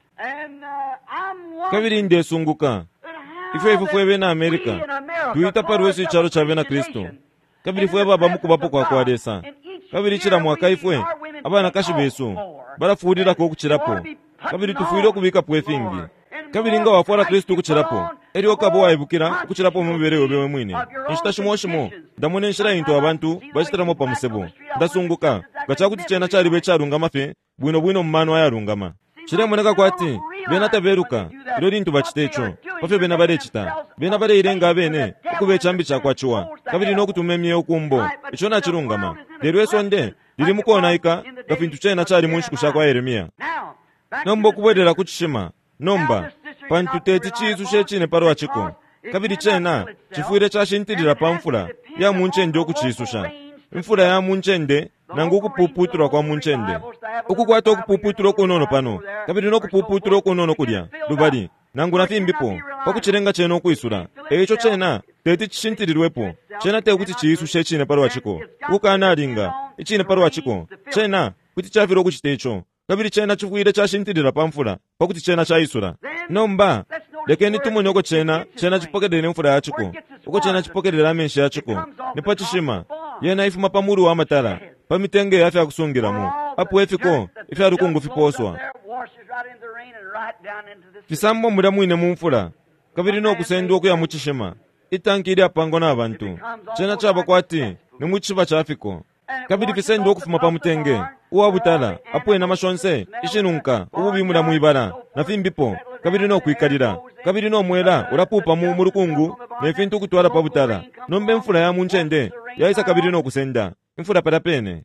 Kabili ndesunguka ifyo ifwe fwe bena America tuita palwesu icalo ca bena Kristu, kabili fwe baba mu kubapo kwa kwa Lesa, kabili cila mwaka ifwe abanakashi besu balafulilako ukucilapo, kabili tufwile ukubikapo ifingi. Kabili nga wafwala Kristu ukucilapo, elyo ukaba waibukila ukucilapo mu mibele yobe we mwine. Inshita shimo shimo ndamona inshila intu abantu bacitilamo pa musebo, ndasunguka nga cakuti cena caliba icalungama fye bwino bwino mu mano ayalungama. Cilemoneka kwati bena tabeluka ilyo lintu bacita ico pafyo bena balecita. Bena baleilenga abene ukuba icambi ca kwa ciwa kabili no kutuma imyeo kumbo. Ico nacilungama. Lelo isonde lili mu konaika nga fintu cena cali mu nshiku sha kwa Yeremia. Nomba ukubwelela ku cishima nomba, pantu teti ciisushe icine palwa ciko, kabili cena cifwile cashintilila pa mfula ya mu ncende ukuciisusha. Imfula ya mu ncende nangu ukupuputulwa kwa mu ncende, ukukwata ukupuputulwa ukunono pano kabili no kupuputulwa ukunono kulya lubali nangu na fimbipo pakucilenga cena ukwisula. Eico cena teti cishintililwepo. Cena tekuti ciisushe icine palwa ciko, ukukanalinga icine palwa ciko. Cena kuti cafilwa ukucita ico, kabili cena cifwile cashintilila pa mfula pakuti cena caisula. Nomba lekeni tumone uko cena cena cipokelela imfula ya ciko, uko cena cipokelela amenshi ya ciko. Ni pa cishima. Yena ifuma pa mulu wa matala, pa mitenge ya fya kusungilamo apo ifiko ifya lukungu fiposwa fisambwa mulya mwine mu mfula kabili no kusendwa ukuya mu cishima. Itanki ilyapangwa na bantu, cena caba kwati ni mu cishiba ca fiko, kabili fisendwa ukufuma pa mutenge uwa butala apo inama shonse ishinunka ububi mulya mwibala na fimbipo, kabili no kwikalila, kabili no mwela ulapupa mu mulukungu ne fintu ukutwala pa butala. Nomba imfula ya mu ncende yaisa kabili no kusenda imfula palya pene.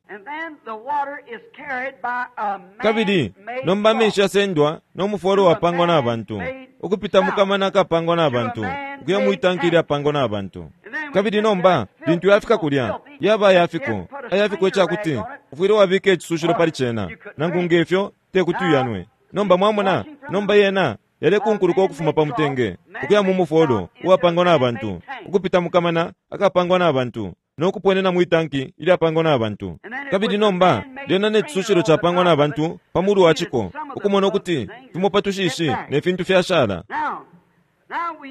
Kabili nomba amenshi yasendwa no mufolo wapangwa na bantu ukupita mu kamana akapangwa na bantu ukuya mu itanki ilyapangwa na bantu. Kabili nomba lintu yafika kulya yaba ayafiko ayafiko icakuti ufwile wabika icisushilo pali cena, nangu ngefyo tekuti uyanwe. Nomba mwamona, nomba yena yalekunkuluka ukufuma pa mutenge ukuya mu mufolo uwapangwa na bantu ukupita mu kamana akapangwa na bantu no kuponena mu itanki ilyapangwa na bantu. Kabili nomba lyena ne cisushilo capangwa na bantu pa mulu wa ciko, ukumona ukuti fimo pa tushishi ne fintu fyashala.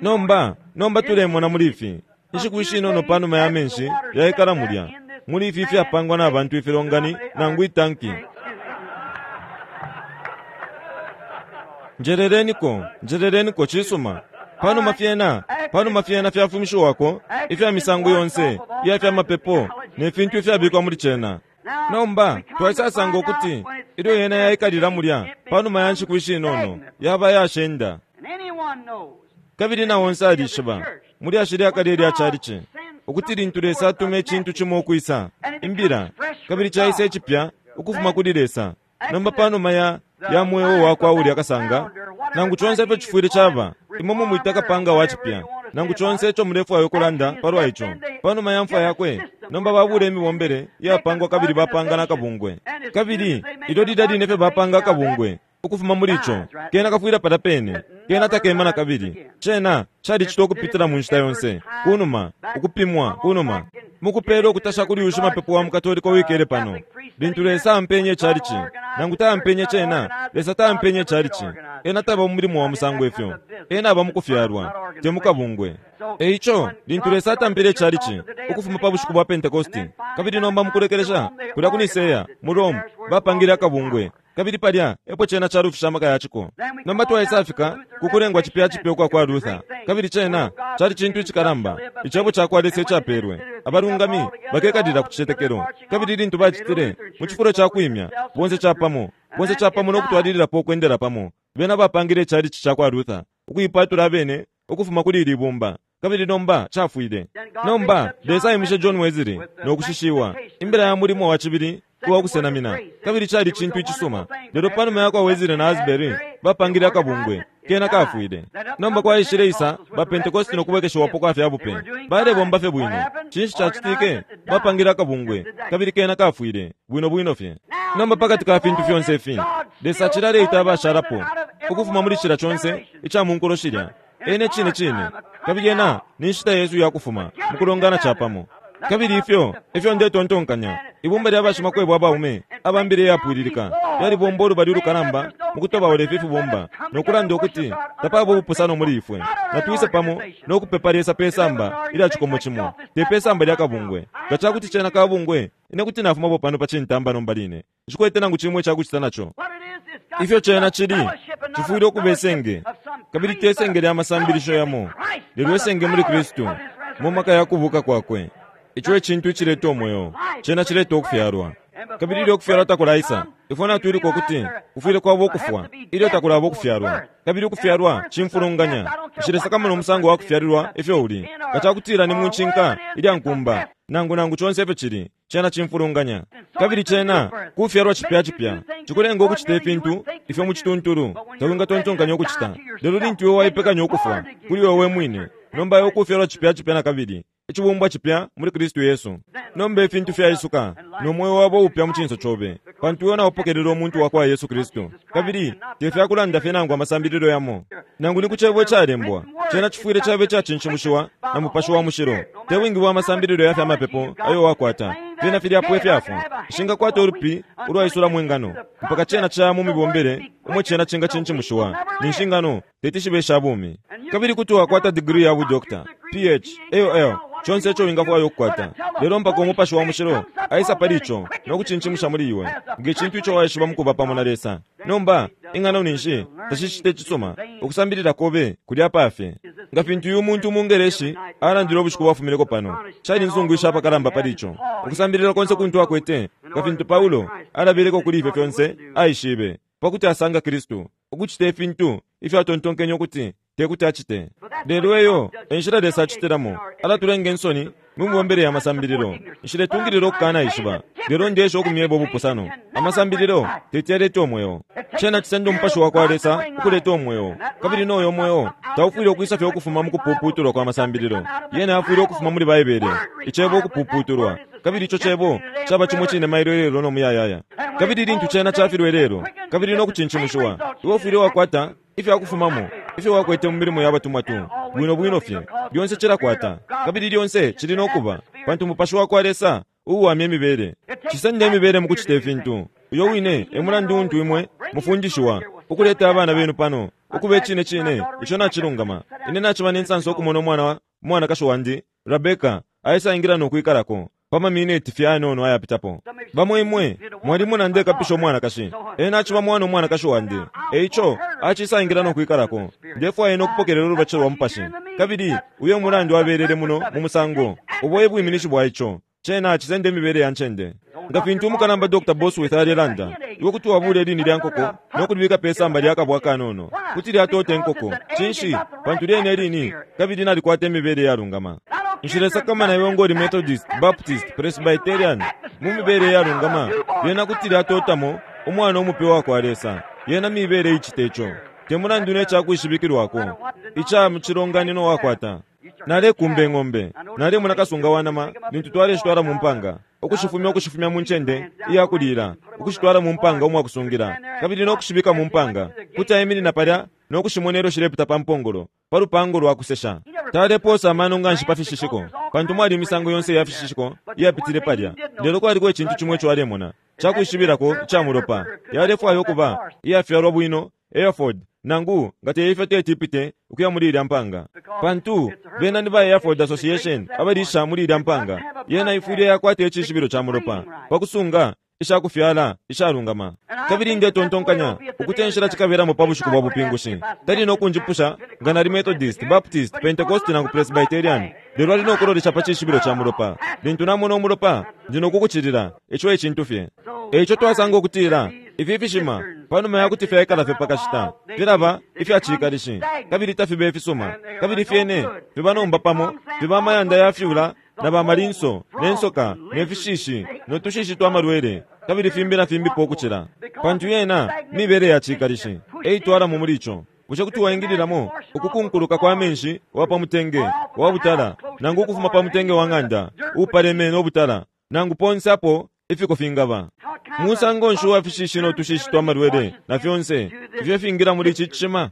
Nomba nomba tulemona muli ifi inshiku ishinono panuma ya menshi yaikala mulya muli ifi ifyapangwa na bantu ifilongani nangu itanki. Njeleleniko, njeleleniko cisuma. Panuma fyena, panuma fyena fyafumishiwako ifya misango yonse iya fya mapepo ne fintu ifyabikwa muli cena. Nomba twaisasanga ukuti Ilyo yena yaikalila mulya panuma ya nshiku ishinono yaba yashenda. Kabili na onse alishiba muli ashili akale lya chalichi ukuti lintu Lesa atume icintu cimo ukwisa imbila kabili chaisa icipya ukufuma kuli Lesa. Nomba panuma ya ya mweo wakwa ulya kasanga nangu chonse ifyo chifwile chaba imwe mumwita kapanga wa chipya nangu chonse icho mulefwayo ukulanda palwa icho panuma ya mfwa yakwe. Nomba babula imibombele iyapangwa kabili bapanga nakabungwe kabili ilyo lilya line fye bapanga akabungwe ukufuma muli icho kena kafwila pala pene kena takema na kabili. Chena chalicitwa ukupitila mu nshita yonse kunuma ukupimwa kunuma mukupela ukutasha kuli uyu shimapepo wa mukatolika wikele pano. Lintu Lesa ampenye chalichi nangu tampenye chena Lesa tampenye chalichi ena taba mu mulimo wa musango ifyo ena aba mukufyalwa te mukabungwe. Eicho lintu Lesa atampele chalichi ukufuma pa bushiku bwa Pentekosti kabili nomba mukulekelesha kulya ku Niseya mu Rome bapangile akabungwe kabili palya epo chena chalufisha amaka yachiko. Nomba twaisafika kukulengwa chipya chipya ukwa kwa Luther kabili chena chali chintu ichikalamba icebo chakwa Lesa ichapelwe abalungami bakekalila ku chichetekelo kabili lintu bachitile mu chifulo chakwimya bonse chapamo bonse chapamo nokutwalililapo okwendela pamo bena bapangile chalichi chakwa Luther ukuipatula abene ukufuma kuli ili bumba kabili nomba chafwile. Nomba Lesa aimishe John Wesley nokushishiwa imbila ya mulimo wa chibili uwa kusenamina kabili chali chintu ichisuma. Lelo panuma yakwa Wesley na Asbury bapangile akabungwe kena kafwile. Nomba kwaishile isa ba Pentecost nokubwekeshewapo kwa fyabupe balebomba fye bwino. Chinshi chachitike bapangile akabungwe kabili kena kafwile bwino bwino fye. Nomba pakati ka fintu fyonse ifi Lesa achilaleita abashalapo ukufuma muli chila chonse icha munkulo shilya ene chine chine kabili ena ni nshita Yesu yakufuma mukulongana chapamo. Kabili ifyo ifyo ndetontonkanya ibumba lya bashimakwebo abaume abambile yapwililika lyalibomba olubali ulukalamba mukutobaula ifi ifibumba nokulanda ukuti tapaba ubupusano muli ifwe natwise pamo nokupepa Lesa pe samba ilya chikomo chimo te pe samba lya kabungwe. Nga chakuti chena kabungwe ine kuti nafumapo pano pa chintamba nomba line nchikwete nangu chimwe chakuchita nacho. Ifyo chena chili chifwile okuba esenge kabili te senge lya masambilisho yamo lelo esenge muli Kristu mu maka yakubuka kwakwe. Icho echintu ichileta omwoyo chena chileta okufyalwa kabili ilyo okufyalwa takulaisa ifwe natwiliko okuti kufwile kwaba okufwa ilyo takulaba okufyalwa kabili ukufyalwa chimfulunganya. Nshilesakamo nomusango wa kufyalilwa ifyo uli nga chakutila ni munchinka ilya nkumba nangu nangu chonse ifyo chili chena chimfulunganya. Kabili chena kufyalwa chipya chipya chikulenga okuchita ifintu ifyo muchituntulu tawingatontonkanya okuchita. Lelo lintu iwe waipekanya okufwa kuli wewe mwine nomba iwe okufyalwa chipya chipya na kabili ichibumbwa chipya muli Kristu Yesu. Nomba ifintu fyaisuka nomwoyo wabo upya mu chinso chobe pantu iwe naupokelela omuntu wakwa Yesu Kristu kabili tefyakulanda fye nangu amasambililo yamo nangu ni kuchebo echalembwa chena chifwile chabe chachinshimushiwa na mupashi wa mushilo te wingi bwa masambililo ya fyamapepo ayo wakwata fyena filyapo efyafwa ishingakwata olupi ulwaisula mwengano mpaka chena cha mu mibombele umwe chena chinga chinchimushiwa ni nshingano tetishibe eshabumi. Kabili kuti wakwata degree ya budokta P H A O L chonse icho wingafwayo okukwata lelo mpaka umupashi wa mushilo aisa pali icho nokuchinchimusha muli iwe ngechintu icho waishiba mukuba pamo na Lesa. Nomba ingano ninshi tashichite chisuma okusambilila kobe kulya pafye nga fintu uyu muntu mungereshi alandile obushiku bwafumileko pano chali nzungu apakalamba pali icho okusambilila konse kuntu akwete nga fintu Paulo alabileko kuli ifyo fyonse aishibe pakuti asanga Kristu okuchita ifintu ifyo atontonkenye okuti tekuti achite. Lelo eyo enshila Lesa achitilamo alatulenga ensoni mumibombele ya masambililo nshiletungilila okukana ishiba lelo ndesha okumyeba obupusano amasambililo teti yaleta omwoyo chena chisenda omupashi wakwa Lesa okuleta omwoyo kabili noyo omwoyo taufwile okwisa fye okufuma mukupuputulwa kwa masambililo yena afwile okufuma muli Baibele ichebo okupuputulwa kabili icho chebo chaba chimwe chine mailo lelo nomuyayaya kabili lintu chena chafilwe lelo kabili nokuchinchimushiwa iwe ufwile wakwata ifyo akufumamo ifyo wakwete mu milimo ya batumwa tu bwino bwino fye lyonse chilakwata kabili lyonse chili nokuba pantu mupashi wakwa Lesa uwamya emibele chisenda emibele mukuchita ifintu. Uyo wine emulandu untu imwe mufundishiwa ukuleta abana benu pano ukuba echine chine icho nachilungama. Ine nachiba nensansa okumona omwana mwanakashi wandi Rebeka aisaingira nokwikalako pamamineti fye anono ayapitapo. Bamwe imwe mwalimu nandekapisha omwanakashi ena achiba mwana omwanakashi wandi eicho achisaingira nokwikalako ndefwaye nokupokelela olubachi lwa mupashi kabili uyo mulandu abelele muno mu musango obwo ebwiminishi bwa icho. Cena cisende imibele ya ncende. Nga fintu umukalamba Doctor Bosworth alelanda, iwe kuti wabula ilini lya nkoko no kulibika pe samba lya kabwa kanono, kuti lyatota inkoko. Cinshi? Pantu lyene ilini kabili nalikwata imibele yalungama. Nshilesakamana iwe ngoli Methodist, Baptist, Presbyterian, mu mibele yalungama, lyena kuti lyatotamo umwana umupe wa kwa Lesa. Yena mibele icite ico. Te mulandu ne cakwishibikilwako ica mu cilonganino wakwata. Nalekumba ing'ombe, nalemona kasunga wa nama lintu twaleshitwala mu mpanga, ukushifumya ukushifumya mu ncende iyakulila, ukushitwala mu mpanga umwakusungila, kabili no kushibika mu mpanga. Kuti aiminina palya no kushimona ilyo shilepita pa mpongolo, pa lupango lwa kusesha. Taleposa amano nganshi pa fishishiko, pantu mwali imisango yonse ya fishishiko iyapitile palya. Lelo kwaliko icintu cimo ico alemona, cakwishibirako ica mulopa. Yalefwaya ukuba iyafyalwa bwino, Hereford, nangu nga teifyo teti ipite ukuya muli ilya mpanga, pantu bena ni ba Hereford Association abalisha muli ilya mpanga. Yena ifwile yakwata icishibilo ca mulopa pakusunga ishakufyala ishalungama. Kabili ndetontonkanya ukuti enshila cikabelamo pa bushiku bwa bupingushi. Tali no kunjipusha nga nali Methodist, Baptist, Pentecost nangu Presbyterian, lelo ali no kulolesha pa cishibilo ca mulopa. Lintu namona umulopa, ndi no kukucilila. Ico e cintu fye. Eico twasanga ukutila ifi fishima panuma ya kuti fyaikala fye pakashita filaba ifyacikalishi kabili tafiba ifisuma, kabili fyene fiba nomba pamo fiba amayanda ya fyula na bamalinso ne nsoka ne fishishi no tushishi twa malwele kabili fimbi na fimbipo ukucila, pantu yena mibele ya cikalishi eitwalamo muli ico. Bushe kuti waingililamo ukukunkuluka kwa menshi wa pa mutenge wa butala, nangu ukufuma pa mutenge wa ng'anda upaleme no butala, nangu ponse apo ifiko fingaba? Musango nshi wa fishishi no tushishi twa malwele na fyonse ifyo fingira muli ici cishima?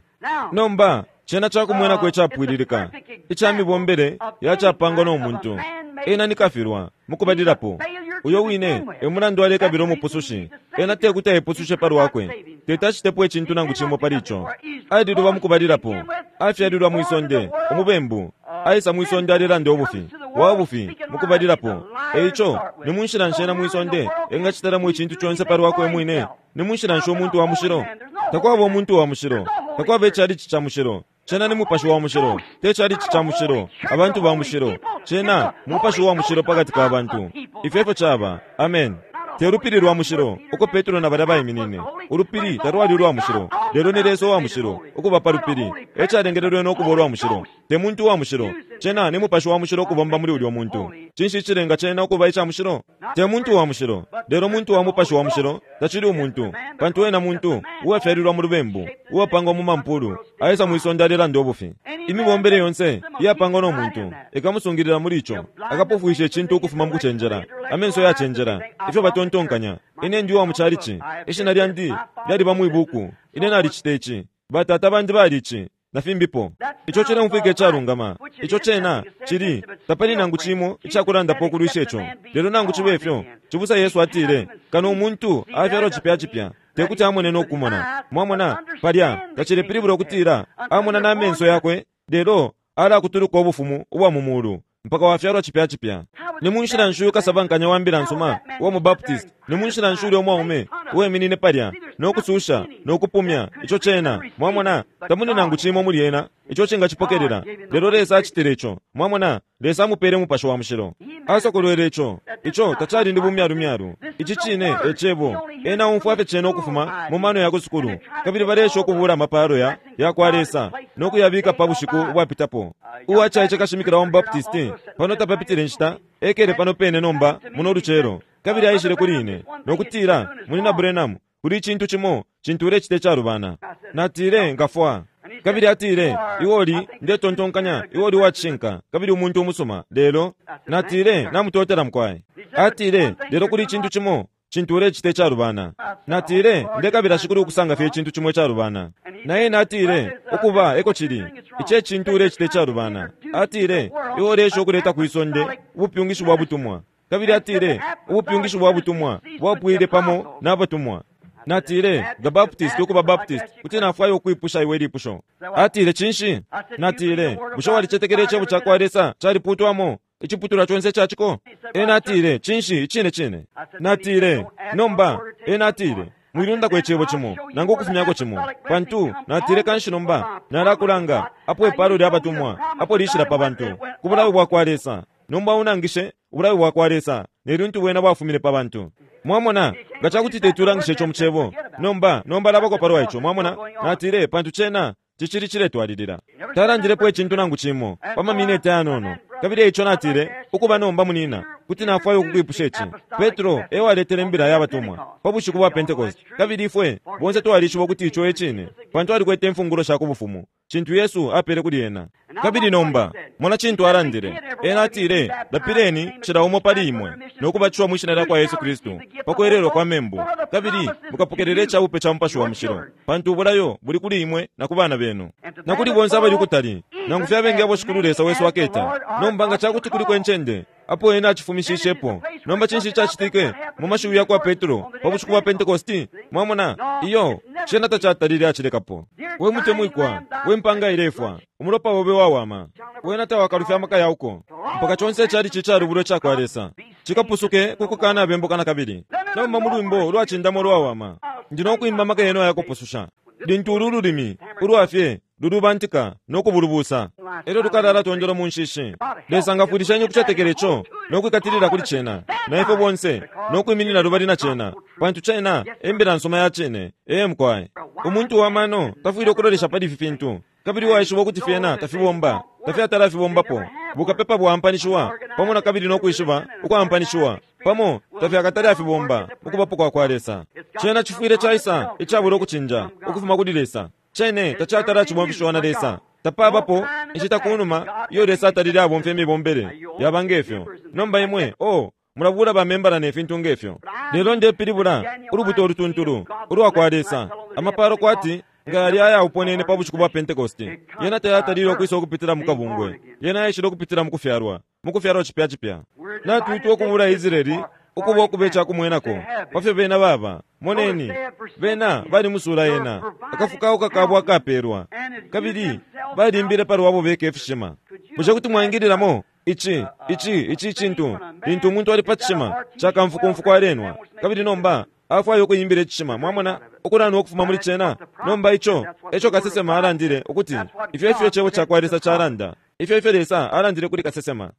Nomba cena cakumwenako icapwililika ica mibombele yacapangwa no muntu. Ena ni kafilwa mukubalilapo. Uyo wine e mulandu alekabila umupusushi. Ena tekuti aipusushe pa lwakwe, teti acitepo icintu nangu cimo pali ico. Alilwa mukubalilapo, afyalilwa mwisonde umubembu, aisa mwisonde alelanda ubufi wa bufi mukubalilapo. Eico ni munshila nshi ena mwisonde engacitalamo icintu conse pa lwakwe mwine? Ni munshila nshi umuntu wa mushilo? Takwaba umuntu wa mushilo, takwaba icalici ca mushilo. Cena ni mupashi wa mushilo, te calici ca mushilo, abantu ba mushilo. Cena mupashi wa mushilo pakati ka bantu. Ifyo efyo caba. Amen. Te lupili lwa mushilo uko Petro na balya baiminine. Ulupili talwali ulwa mushilo, lelo ni Lesa wa mushilo ukuba pa lupili. E calengelelwe no kuba ulwa mushilo, te muntu wa mushilo. Cena ni mupashi wa mushilo ukubomba muli ulyo muntu. Cinshi cilenga cena ukuba ica mushilo? Te muntu wa mushilo, lelo muntu wa mupashi wa mushilo. Tacili umuntu, pantu ena muntu uwafyalilwa mu lubembu, uwapangwa mu mampulu, aisa mwisonde alelanda ubufi. Imibombele yonse iyapangwa no muntu ikamusungilila muli ico. Akapofwisha icintu ukufuma mu kucenjela, amenso yacenjela, ifyo batontonkanya. Ine ndi wa mu calici, ishina lyandi lyaliba mwibuku, ine nalicita ici, batata bandi bali ici, na fimbipo. Ico cileumfwika icalungama, ico cena cili, tapali nangu cimo icakulandapo ukulwisha ico. Lelo nangu cibe ifyo, cibusa Yesu atile, kano umuntu afyalwa cipya cipya tekuti amone no kumona. Mwamona palya tacilepilibula ukutila amona na menso yakwe, lelo alakutuluka ubufumu ubwa mu mulu mpaka wafyalwa cipya cipya. Ni munshila nshi uyu kasabankanya wa mbila nsuma uwa mu Baptist, ni munshila nshi ulya umwaume uweminine palya no kususha no kupumya ico cena? Mwamona tamuli nangu cimo muli ena ico cingacipokelela, lelo Lesa acitile ico. Mwamona Lesa amupele umupashi wa mushilo, asokolwele ico. Ico tacali ndi bumyalumyalu. Ici cine e cebo. Ena umfwa fye cena ukufuma mu mano ya kusukulu, kabili balesha ukubula amapalo ya ya kwa Lesa no kuyabika pa bushiku ubwapitapo. Uwacaice kashimikila wa mu Baptist pano tapapitile nshita ekele pano pene nomba muno lucelo, kabili aishile kuli ine no kutila, Munina Branham, kuli icintu cimo cintu ulecita icalubana. Natile, ngafwa. Kabili atile, iwe uli, ndetontonkanya iwe uli wacishinka kabili umuntu umusuma, lelo natile, namutotela mukwai. Atile, lelo kuli icintu cimo cintu ulecita icalubana. Natile, ndekabila shikulu ukusanga fye icintu cimo icalubana. Naye natile, ukuba eko cili, ice cintu ulecita icalubana. Atile, iwe ulesha ukuleta kwisonde ubupyungishi bwa butumwa. Kabili atile, ubupyungishi bwa butumwa bwapwile pamo n'abatumwa. Natile, nga Baptist ukuba Baptist, kuti nafwaya ukwipusha iwe ilipusho. Atile, cinshi? Natile, bushe walicetekela icebo ca kwa Lesa caliputwamo iciputulwa conse caciko? Ena atile, cinshi, icine cine. Natile, nomba. Ena atile, mwilundako icebo cimo nangu ukufumyako cimo, pantu natile kanshi nomba nalakulanga apo ipalo lya batumwa apo lishila pa bantu ku bulayo bwa kwa Lesa. Nomba unangishe Ubulayo bwakwa Lesa nelintu bwena bwafumine pa bantu. Mwamona, nga cakuti tetulangisha ico mu cebo. Nomba, nomba labako palwa ico, mwamona? Natile, pantu cena cicili ciletwalilila. Talandilepo icintu nangu cimo pa mamineti ayanono. Kabili ico natile, ukuba nomba munina, kuti nafwaya ukukwipusha ici. Petro e waletele imbila ya batumwa pa bushiku bwa Pentecost. Kabili ifwe bonse twalishiba ukuti ico e cine, pantu alikwete imfungulo sha ku bufumu, cintu Yesu apele kuli ena. Kabili nomba mona cintu alandile. Ena atile, lapileni cila umo pali imwe no kubatishiwa mwi shina lya kwa Yesu Kristu pa kwererwa kwa membu, kabili mukapokelela icabupe ca Mupashi wa Mushilo, pantu ubulayo buli kuli imwe na ku bana benu na kuli bonse abali kutali, nangu fye abengi abo Shikulu Lesa wesu aketa. Nomba nga cakuti kuliko incende apo ena acifumishishepo, nomba cinshi cacitike mu mashiwi ya kwa Petro pa bushiku bwa Pentecosti? Mwamona, iyo cena tacatalile acilekapo. We mutemwikwa, we mpanga ilefwa, umulopa wobe wawama, wena tawakalufya amaka yauko mpaka conse cali cicalubulwe cakwa Lesa cikapusuke kukukana abembuka na kabili. Nomba mu lwimbo ulwacindama ulwawama, ndi nokwimba amaka yenu ayakupususha. Lintu ulu lulimi ulwafye lulubantika nokubulubusa, elyo lukalala tondolo mu nshishi. Lesa ngafwilishenyi ukucetekela ico nokwikatilila kuli cena, na ifwe bonse nokwiminina lubali na cena, pantu cena embila nsoma ya cine. Ee mukwaye, umuntu wa mano tafwile ukulolesha pali ifi fintu, kabili waishiba ukuti fyena tafibomba, tafyatala fibombapo. Bukapepa bwampanishiwa pamo na kabili nokwishiba ukwampanishiwa pamo tafyakatali afibomba mukubapo kwa kwa Lesa. Cena cifwile caisa icabula ukucinja ukufuma kuli Lesa. Cene tacatala cibomfishiwa na Lesa. Tapabapo inshita kunuma iyo Lesa atalile abomfya imibombele yaba ngefyo. Nomba imwe, oh, mulabula bamembala ne fintu ngefyo. Lelo ndepilibula ulubuto olutuntulu ulwa kwa Lesa, amapalo kwati nga yali ayauponene pa bushiku bwa Pentecosti. Yena tayatalile ukwisa ukupitila mu kabungwe, yena yaishile ukupitila mu kufyalwa, mu kufyalwa cipya cipya. Natwitwa ukubula Israeli ukuba ukuba icakumwenako pafyo bena baba. Moneni, bena bali musula yena, akafukauka kabo akapelwa, kabili balimbile palwabo beka ifishima. Bushe kuti mwaingililamo ici ici ici cintu lintu umuntu ali pa cishima cakamfukumfuku alenwa, kabili nomba afwaya ukuyimbila icishima? Mwamona, ukulanwa ukufuma muli cena. Nomba ico eco kasesema alandile ukuti ifyo ifyo icebo cakwa Lesa calanda, ifyo ifyo Lesa alandile kuli kasesema.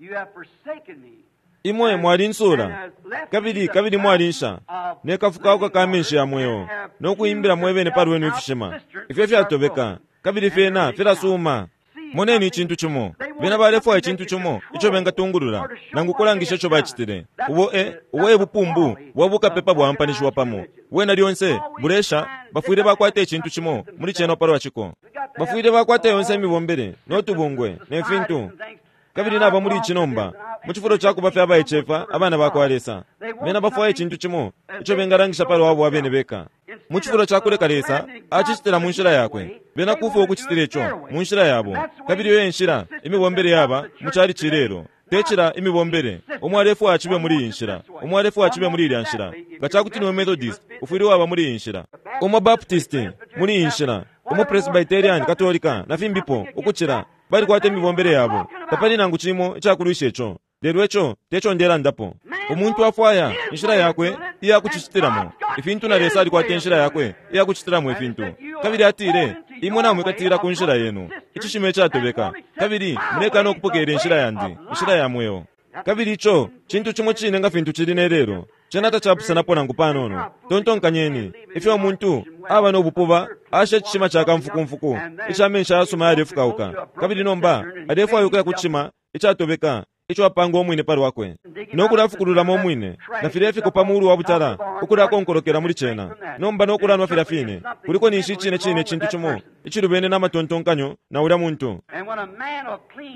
Imwe mwalinsula kabili kabili mwalinsha ne kafukauka ka menshi ya mweo, no kuimbila mwebene palwenu ifishima ifyo fyatobeka kabili fyena filasuma. Moneni icintu cimo, bena balefwaya icintu cimo ico bengatungulula nangu kulangisha ico bacitile. Ubo e ubo e bupumbu bwa bukapepa bwampanishiwa pamo, wena lyonse bulesha. Bafwile bakwata icintu cimo muli cena palwa ciko, bafwile bakwata yonse imibombele notubungwe ne fintu. Kabili naba muli ici nomba mu cifulo ca kuba fye abaicefa abana bakwa Lesa, bena bafwaya icintu cimo ico bengalangisha palwabo abene beka. Mu cifulo ca kuleka Lesa acicitila mu nshila yakwe, bena kufwa ukucitila ico mu nshila yabo. Kabili iyo enshila imibombele yaba mu cali cilelo, tecila imibombele umo alefwaya cibe muli iyi nshila, umo alefwaya cibe muli ilya nshila. Nga cakuti niwe Methodist, ufwile waba muli iyi nshila, umo Baptist muli iyi nshila, umo Presbyterian, Katolika na fimbipo ukucila. Balikwata imibombele yabo, tapali nangu cimo icakulwisha ico. Lelo ico teco ndelandapo. Umuntu afwaya inshila yakwe iya kucicitilamo ifintu, na Lesa alikwata inshila yakwe iya kucitilamo ifintu. Kabili atile, imwe namwikatila ku nshila yenu icishima icatobeka, kabili mulekana ukupokelela inshila yandi, inshila ya mweo. Kabili ico cintu cimo cine nga fintu cili ne lelo, cena tacapusanapo nangu panono. Tontonkanyeni ifyo umuntu aba no bupuba asha icishima ca kamfukumfuku ica menshi ayasuma yalefukauka, kabili nomba alefwaya ukuya ku cishima icatobeka ico apanga umwine palwakwe nokulafukululamo umwine na filya ifiko pa muulu wa butala ukulakonkolokela muli cena, nomba nokulanwa filya fine. Kuliko ninshi icine cine icintu cimo icilubene n'amatontonkanyo na ulya muntu.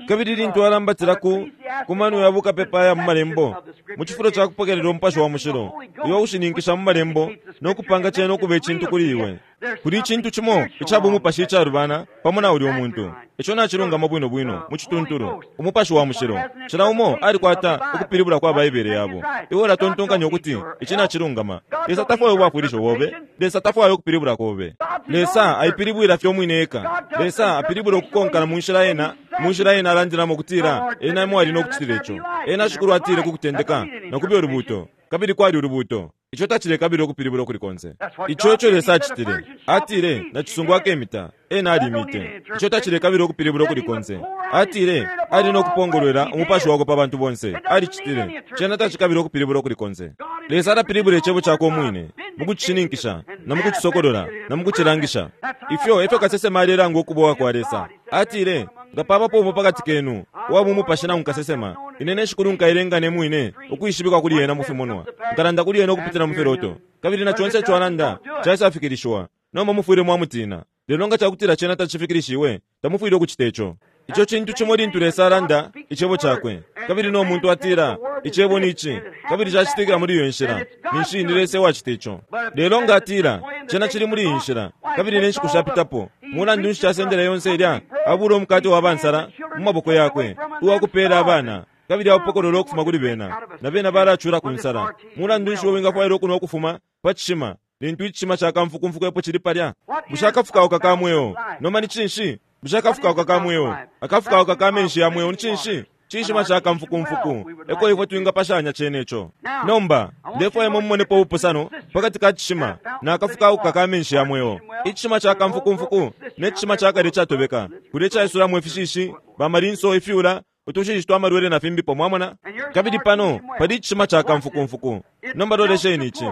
Kabili lintu alambatila ku ku mano ya bukapepa ya mu malembo mu cifulo ca kupokelela Umupashi wa Mushilo uyo ushininkisha mu malembo nokupanga cena ukuba icintu kuli iwe, kuli icintu cimo ica bumupashi icalubana pamo na ulya umuntu. Ico nacilungama bwino bwino mu cituntulu. Umupashi wa Mushilo cila umo alikwata ukupilibula kwa Baibele yabo. Iwe ulatontonkanya ukuti ici nacilungama. Lesa tafwaya ubwafwilisho bobe, Lesa tafwaya ukupilibula kobe. Lesa aipilibwila fye umwine eka. Lesa apilibula ukukonkana mu nshila ena, mu nshila ena alandilamo kutila ena emo ali nokucitila ico. Ena Shikulu atile ku kutendeka na kubya ulubuto, Kabili kwali ulubuto. Ico tacilekabila ukupilibula kuli konse. Ico eco Lesa acitile. Atile, nacisungu akemita. Ena alimite. Ico tacilekabila ukupilibula kuli konse. Atile, ali no kupongolwela umupashi wakwe pa bantu bonse. Alicitile. Cena tacikabila ukupilibula kuli konse. Lesa alapilibula icebo cakwe umwine, mukucishininkisha, na mukucisokolola, na mukucilangisha. Ifyo efyo kasesema alelanga ukubowa kwa Lesa. Atile, nga pabapo umo pakati kenu, uwa mu mupashi nangu kasesema, ine ne shikulu nkailenga ne mwine ukwishibikwa kuli ena mu fimonwa. Nkalanda kuli ena ukupitila mu filoto. Kabili na conse ico alanda caisafikilishiwa. Nomba mufwile mwamutina. Lelo nga cakutila cena tacifikilishiwe, tamufwile ukucita ico. Ico cintu cimo lintu Lesa alanda icebo cakwe, kabili no muntu atila icebo ni ici, kabili cacitikila muli iyo nshila, ninshi ni Lesa ewacita ico. Lelo nga atila cena cili muli iyi nshila, kabili ne nshiku shapitapo, mulandu nshi casendela yonse ilya, abula umukate wa bansala mu maboko yakwe, uwakupela abana, kabili aupokolola ukufuma kuli bena, na bena balacula ku nsala. Mulandu nshi wingafwaila ukunwa ukufuma pa cishima, lintu icishima ca kamfukumfuku epo cili palya? Bushe akafukauka ka mweo nomba ni cinshi? Bushe akafukauka ka mweo, akafukauka ka menshi ya mweo ni cinshi? Cishima ca kamfukumfuku. Eko ifwe twingapashanya cene ico. Nomba ndefwaya mumonepo ubupusano pakati ka cishima na akafukauka ka menshi ya mweo. Icishima ca kamfukumfuku ne cishima ca kale catobeka, kulya caisulamo ifishishi, bamalinso, ifyula, utushishi twa malwele na fimbipo, mwamona. Kabili pano pali icishima ca kamfukumfuku. Nomba lolesheni ici.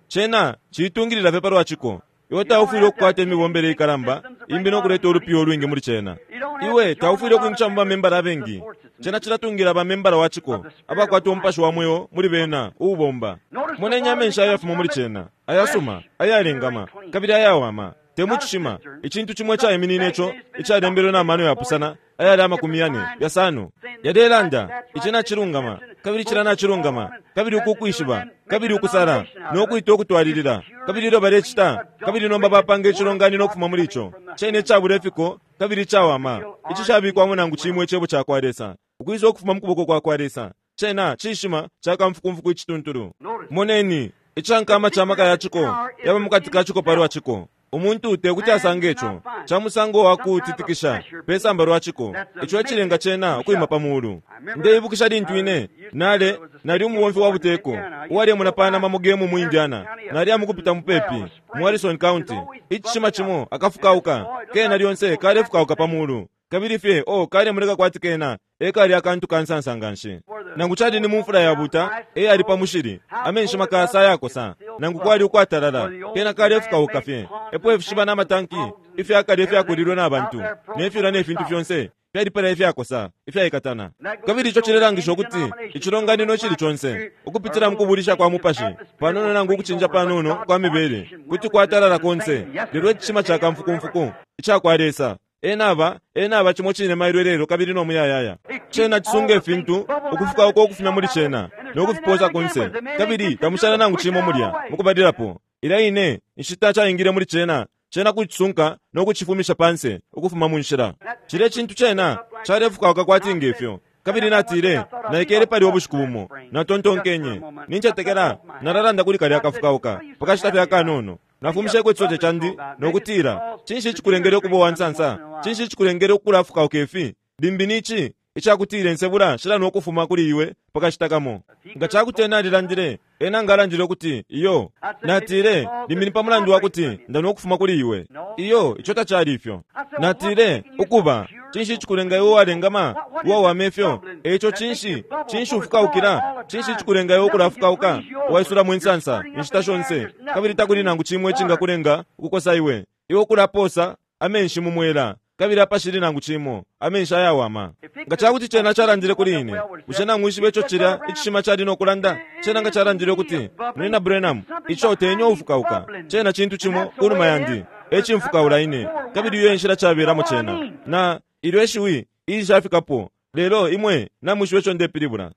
Cena ciitungilila fye palwa ciko. Iwe taufwile ukukwata imibombele ikalamba imbi no kuleta ulupiyo ulwingi muli cena. Iwe taufwile ukwingisha mu bamembala abengi. Cena cilatungila bamembala wa ciko abakwata umupashi wa mweo muli bena uubomba. Moneni amenshi ayafuma muli cena, ayasuma, ayalengama, kabili ayawama. Te mu cishima, icintu cimo icaiminine ico icalembelwe na mano yapusana ayali amakumi yane yasano. Yalelanda ici nacilungama, kabili cila nacilungama, kabili uku ukwishiba, kabili ukusala, no kwita ukutwalilila, kabili ilyo balecita, kabili nomba bapanga icilonganino ukufuma muli ico. Cene icabula ifiko, kabili icawama, icishabikwamo nangu cimo icebo ca kwa Lesa, ukwisa ukufuma mu kuboko kwa kwa Lesa. Cena cishima ca kamfukumfuku icituntulu. Moneni, icankama ca maka ya ciko yaba mukati ka ciko palwa ciko. Umuntu te kuti asange ico ca musango wa kutitikisha pe samba lwa ciko. Ico ecilenga cena ukwima pa mulu. Ndeibukisha lintu ine nale nali umubomfi wa buteko uwalemona panama mu gemu mu Indiana. Nali amukupita mupepi mu Harrison County. Icishima cimo akafukauka kena lyonse kalefukauka pa mulu, kabili fye o kalemoneka kwati kena ekali akantu kansansa nganshi. Nangu cali ni mu mfula yabuta eyali pa mushili, amenshi makasa ayakosa, nangu kwali ukwatalala, kena kalefukauka fye. Epo ifishiba n'amatanki ifyakale ifyakulilwe n'abantu nefyula nefintu fyonse fyalipala ifyakosa ifyaikatana. Kabili ico cilelangisha ukuti icilonganino icili conse ukupitila mu kubulisha kwa mupashi panono nangu ukucinja panono kwa mibele kuti kwatalala konse. Lelo icishima ca kamfukumfuku ica kwa Lesa enaba enaba cimo cine mailo lelo kabili no muyayaya. Cena cisunga ifintu ukufukauka ukufumya muli cena no kufiposa konse, kabili tamushala nangu cimo mulya mukubalilapo. Ilya ine inshita caingile muli cena, cena kucisunka no kucifumisha panse ukufuma mu nshila. Cile cintu cena calefukauka kwati ngefyo. Kabili natile naikele pali ubushiku bumo natontonkenye nincetekela nalalanda kuli kalya akafukauka pakashita fye akanono. Nafumisheko icisote candi nokutila, cinshi icikulengele ukuba uwansansa? Cinshi icikulengele ukulafukauka ifi? Limbi nici icakutila ensebula shila nokufuma kuli iwe pakashita kamo. Nga cakuti ena alilandile, ena ngalandile ukuti iyo. Natile, limbi ni pamulandu wakuti ndanokufuma kuli iwe. Iyo, ico tacali ifyo. Natile, ukuba cinshi icikulenga iwe uwalengama, uwawama ifyo? Eico cinshi cinshi ufukaukila? Cinshi icikulenga iwe ukulafukauka uwaisulamo insansa inshita shonse, kabili takuli nangu cimwe icingakulenga ukukosa iwe? Iwe ukulaposa amenshi mu mwela, kabili apashili nangu cimo amenshi ayawama. Nga cakuti cena calandile kuli ine, bushe namwishiba ico cilya icishima cali nokulanda? Cena nga calandile ukuti, Munyina Branham, ico tenyo ufukauka, cena cintu cimo kunuma yandi ecimfukaula ine, kabili iyo enshila cabelamo cena. Na ilyo eshiwi ilishafikapo, lelo imwe namwishiba ico ndepilibula.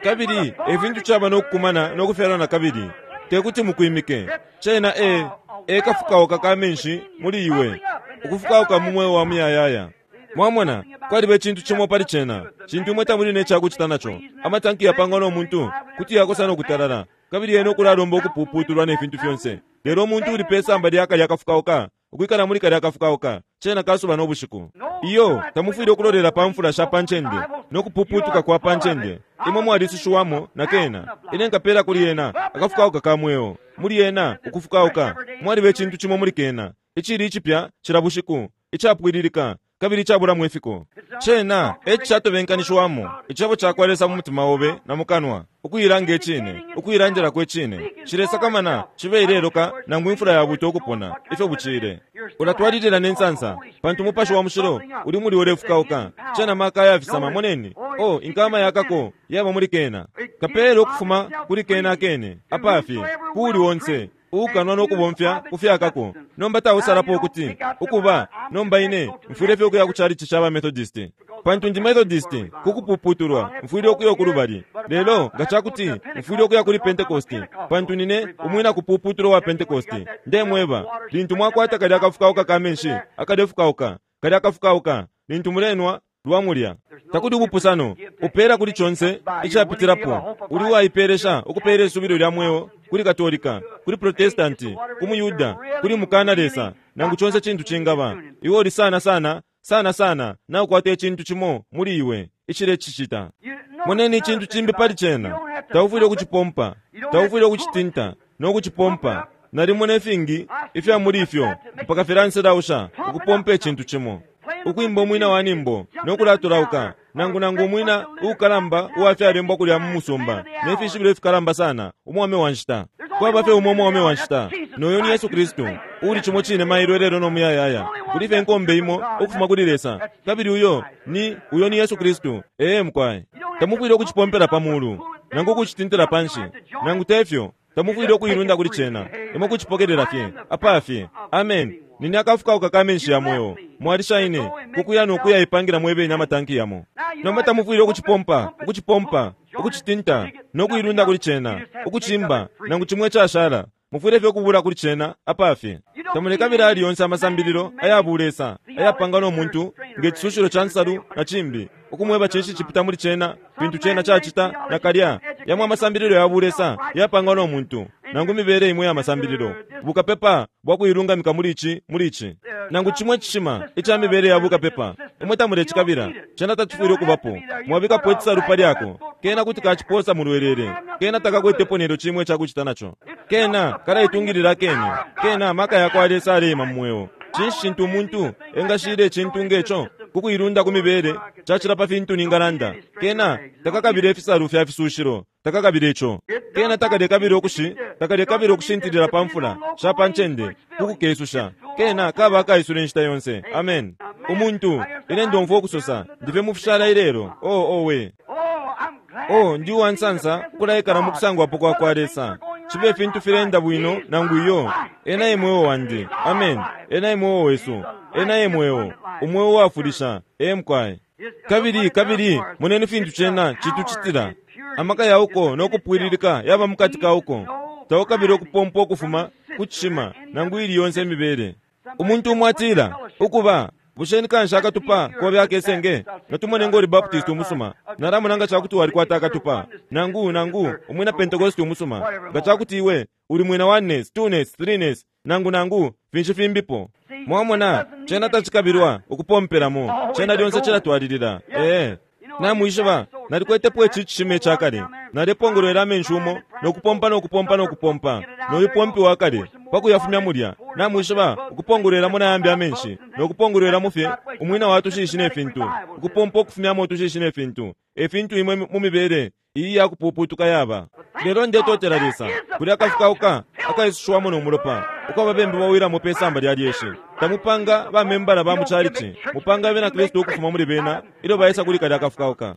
Kabili efintu caba nokukumana nokufyalwa na kabili tekuti mukwimike. Cena e ekafukauka ka menshi muli iwe, ukufukauka mu mweo wa muyayaya. Mwamona, kwaliba icintu cimo pali cena cintu imwe tamuli necakucita naco. Amatanki yapangwa no muntu kuti yakosa nokutalala, kabili yena ukulalomba ukupuputulwa nefintu fyonse. Lelo umuntu uli pe samba lya kalya akafukauka, ukwikala muli kalya akafukauka, cena kasuba no bushiku. Iyo, tamufwile ukulolela pa mfula sha pa ncende nokupuputuka kwa pa ncende. Imwe mwalisushiwamo na kena. Ine nkapela kuli ena akafukauka ka mweo. Muli ena ukufukauka mwaliba icintu cimo muli kena icili icipya cila bushiku, icapwililika kabili icabulamo ifiko. Cena ecicatobenkanishiwamo icebo cakwa Lesa mu mutima obe na mukanwa, ukuilanga icine, ukuilandilako icine. Cilesakamana cibe ileloka nangu imfula yabuta ukupona, ifyo bucile. Ulatwalilila ne nsansa pantu Mupashi wa Mushilo uli muli ulefukauka. Cena maka ayafisama. Moneni, o inkama yakako yaba muli kena. Kapele ukufuma kuli kena akene apafye kuuli onse ukanwa no kubomfya kufyakako. Nomba tausalapo ukuti ukuba nomba ine mfwile fye ukuya ku chalichi cha ba Methodist pantu ndi Methodist kukupuputulwa, mfwile ukuya kulubali. Lelo nga chakuti mfwile ukuya kuli Pentecost pantu nine umwina kupuputulwa wa Pentecost. Ndemweba, lintu mwakwata kalya akafukauka ka menshi akalefukauka, kalya akafukauka lintu mulenwa lwamulya, takuli ubupusano. Upela kuli chonse icapitirapo. Uli waipelesha ukupela isubilo lya mweo kuli Katolika, kuli Protestanti, ku Muyuda, kuli mukana Lesa, nangu chonse chintu chingaba. Iwe uli sana sana sana sana na ukwata icintu cimo muli iwe icile cicita. Moneni icintu cimbi pali cena. Taufwile ukucipompa, taufwile ukucitinta no kucipompa. Nalimona ifingi ifya muli ifyo mpaka filanselausha ukupompa icintu cimo, ukwimba umwina wa nimbo no kulatulauka, nangu nangu umwina uukalamba uwafyalembwa kulya mu musumba ne fishibilo ifikalamba sana, umwame wa nshita. Kwaba fye umo umwame wa nshita, noyo ni Yesu Kristu, uli cimo cine mailo lelo no muyayaya. Kuli fye nkombe imo ukufuma kuli Lesa, kabili uyo ni uyo ni Yesu Kristu. Ee mukwaye, tamufwile ukucipompela pa mulu nangu ukucitintila panshi, nangu tefyo tamufwile ukuilunda kuli cena. Imwe kucipokelela fye apafye. Amen. Nini akafukauka ka menshi ya mweo mwalisha ine kukuya nokuya ipangira mwebene amatanki yamo. Nomba tamufwile ukucipompa, ukucipompa, ukucitinta nokuilunda kuli cena, ukucimba nangu chimwe chashala. Mufwile fye ukubula kuli cena apafye. Tamulekabila ali yonse amasambililo ayabulesa ayapanga no muntu nge chisushilo cha nsalu na chimbi ukumweba cinshi chipita muli cena, fintu cena chacita na kalya. Yamwe amasambililo yabulesa yapanga no muntu nangu mibele imwe ya masambililo bukapepa bwa kuilungamika muli ichi muli ichi nangu chimwe chishima icha mibele ya bukapepa. Imwe tamulechikabila cena tachifwile ukubapo. Mwabikapo ichisalu palyako kena kuti kachiposa mulwelele, kena takakwetepo nelyo chimwe chakuchita nacho, kena kalaitungilila kene, kena maka yakwa Lesa aleyima mumweo. Cinshi cintu umuntu engashile icintu ngecho kukuilunda ku mibele chachila pa fintu ningalanda. Kena takakabile ifisalu fya fisushilo, takakabile icho. Kena takalekabile ukushi takalekabile ukushintilila pa mfula sha pa ncende kukukesusha. Kena kaba akaisula inshita yonse. Amen. Umuntu ine ndomfwa ukusosa ndife mufishala ilelo. Oh owe, oh ndi uwansansa ukulaikala mu kusangwapo kwa kwa Lesa. Chibe fintu filenda bwino nangu iyo. Ena ye mweo wandi. Amen. Ena ye mweo wesu. Ena ye mweo. Umweo wafulisha. Ee mukwaye. Kabili kabili moneni fintu cena chituchitila. Amaka yauko no kupwililika yaba mukati kauko. Taukabile ukupompa ukufuma kuchishima nangu ili yonse imibele. Umuntu umwe atila ukuba busheni kanshi akatupa kobe akesenge natumone ngoli Baptist umusuma nalamona nga chakuti walikwata akatupa nangu nangu umwina Pentecost umusuma nga chakuti iwe uli mwina oneness, twoness, threeness nangu nangu finshi fimbipo. Mwamona cena tachikabilwa ukupompelamo, cena lyonse chilatwalilila. Ee namwishiba nalikwetepo ichi chishima echakale, nalepongolwela amenshi umo nokupompa nokupompa nokupompa noyupompi wakale pakuyafumya mulya. Namwishiba ukupongolwelamo nayambi amenshi nokupongolwelamo fye umwina wa tushishi ne fintu, ukupompa ukufumyamo tushishi ne fintu, efintu imwe mu mibele iyi yakupuputuka yaba. Lelo ndetotela Lesa kuli akafukauka akaisushiwamo no mulopa uko babembe bawilamo pe samba lya lyeshi. Tamupanga bamembala ba mu chalichi, mupanga bena Kristu ukufuma muli bena ilyo baisa kuli kalya akafukauka.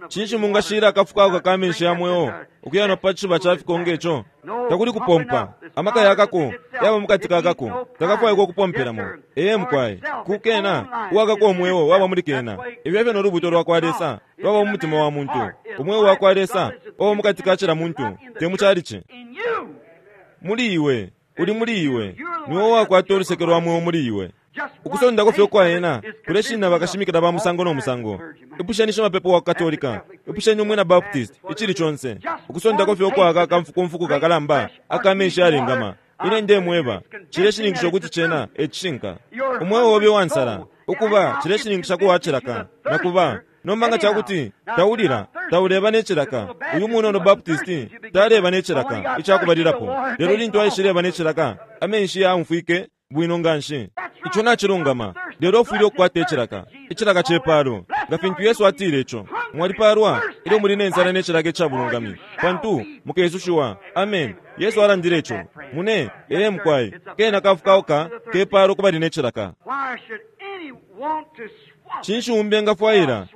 Cinshi mungashira akafukauka ka menshi ya mweo ukuya no pa chiba cha fikonge icho? Takuli kupompa amaka yakako yaba mukati kakako, takafwaikwa ukupompelamo. Ee mukwaye, kukena uwakako omweo waba muli kena. Ibyo fye nolubuto lwa kwa Lesa lwaba mu mutima wa muntu. Umweo wa kwa Lesa waba mukati ka chila muntu, te mu chalichi. Muli iwe, uli muli iwe, niwe wakwata oluseke lwa mweo muli iwe. Ukusondako fye ukwaena kuleshinna bakashimikila ba musango no musango. Ipusheni shimapepo wa Katolika, ipusheni umwina Baptist, ichili chonse. Ukusondako fye ukwaka kamfukumfuku kakalamba akamenshi alengama. Ine ndemweba chileshininkisha ukuti chena echishinka. Umweo obe wansala ukuba chileshininkisha kuwachilaka nakuba Nomba nga cakuti taulila, tauleba ne cilaka. Uyu munono Baptist taleba ne cilaka icakubalilapo, lelo lintu aishileba ne cilaka, amenshi yaumfwike bwino nganshi. Ico nacilungama, lelo ufwile ukukwata icilaka, icilaka cepalo, nga fintu Yesu atile ico. Mwalipalwa ilyo muli ne nsala ne cilaka icabulungami, pantu mukesushiwa. Amen. Yesu alandile ico. Mune, ee mukwai, kena kafukauka kepalo kubali ne cilaka. Cinshi umbi engafwaila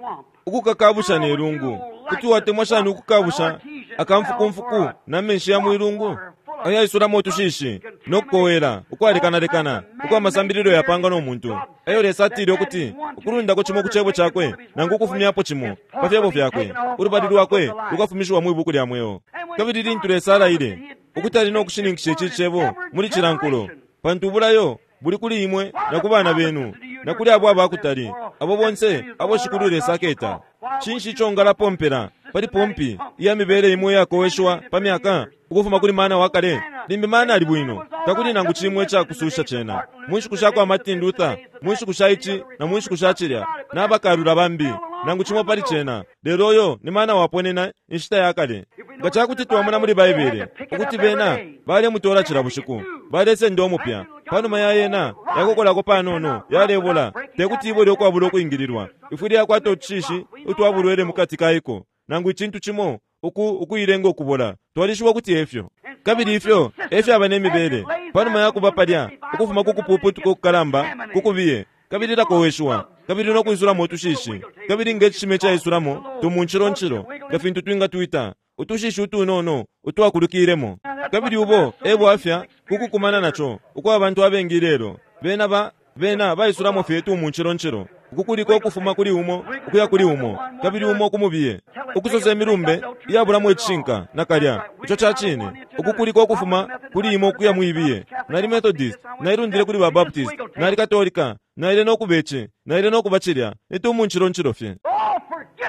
ukukakabusha ne lungu? Kuti watemwa shani ukukabusha akamfukumfuku na menshi ya mwilungu ayaisulamo utushishi no kukowela ukwalekanalekana ukwa masambililo yapangwa no muntu, ayo Lesa atile ukuti ukulundako cimo ku cebo cakwe nangu ukufumyapo cimo pa fyebo fyakwe, ulubali lwakwe lukafumishiwa mwi buku lya mweo. Kabili lintu Lesa alaile ukuti ali no kushininkisha ici cebo muli cilankulo, pantu ubulayo buli kuli imwe na ku bana benu na kuli abo abakutali, abo bonse abo Shikulu Lesa aketa. Cinshi ico ngalapompela pali pompi iya mibele imwe iyakoweshwa pa myaka ukufuma kuli mana wa kale? Limbi mana ali bwino, takuli nangu cimwe icakususha cena. Mu nshiku sha kwa Martin Luther, mu nshiku sha ici na mu nshiku sha cilya, na bakalula bambi, nangu cimo pali cena, lelo uyo ni mana waponena inshita ya kale. Nga cakuti twamona muli Baibele ukuti bena balemutola cila bushiku, balesenda umupya panuma ya yena yakokolako panono, yalebola, tekuti ibole ukwabula ukwingililwa. Ifwile yakwata utushishi utwabulwele mukati kaiko, nangu icintu cimo uku ukuilenga ukubola. Twalishiba ukuti efyo. Kabili ifyo efyaba ne mibele panuma yakuba palya ukufuma ku kupuputuka ukukalamba kukubiye, kabili lakoweshwa, kabili no kuisulamo utushishi, kabili nge cishime caisulamo tumunciloncilo, nga fintu twingatwita utushishi utunono utwakulukilemo. Kabili ubo ebwafya kukukumana naco ukwa abantu abengi lelo. Bena ba bena baisulamo fye tumunciloncilo, ukukuliko ukufuma kuli umo ukuya kuli umo, kabili umo kumubiye, ukusosa imilumbe iyabulamo icishinka nakalya. Ico ca cine, ukukuliko ukufuma kuli imo ukuya muibiye. Nali Methodist, nailundile kuli ba Baptist, nali Katolika, naile no kubeci, naile no kubacilya, nitumunciloncilo fye.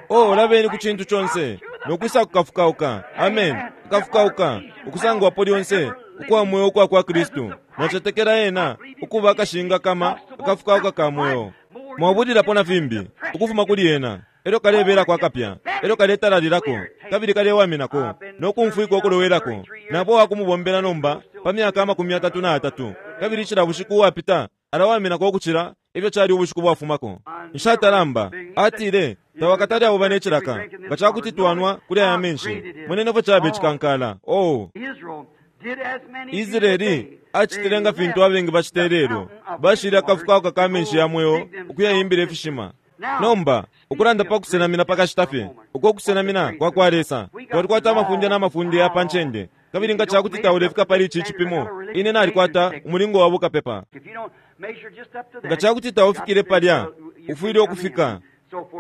Oh, labeni ku cintu conse nokwisa kukafukauka. Amen. Kukafukauka ukusangwapo lyonse ukwa mweo ukwa kwa Kristu. Nacetekela ena ukuba akashinga kama akafukauka ka mweo. Mwabulilapo na fimbi ukufuma kuli ena, elyo kalebelako akapya, elyo kaletalalilako, kabili kalewaminako no kumfwika ukulowelako. Nabo wakumubombela nomba pa myaka amakumi atatu na atatu, kabili cila bushiku uwapita alawaminako ukucila ifyo cali ubushiku bwafumako. Nshatalamba atile tawakatali abo bane cilaka nga cakuti twanwa kuli aya menshi. Moneni fyo cabe cikankala. Oh, Israeli acitile nga fintu abengi bacite lelo, bashile akafukauka ka menshi ya mweo ukuyayimbila ifishima. Nomba ukulanda pa kusenamina pakashita fye, uko kusenamina kwa kwa Lesa, twalikwata amafunde n'amafunde ya pa ncende. Kabili nga cakuti taulefika pali ici cipimo, ine nalikwata umulingo wa bukapepa. Nga cakuti taufikile palya, ufwile ukufika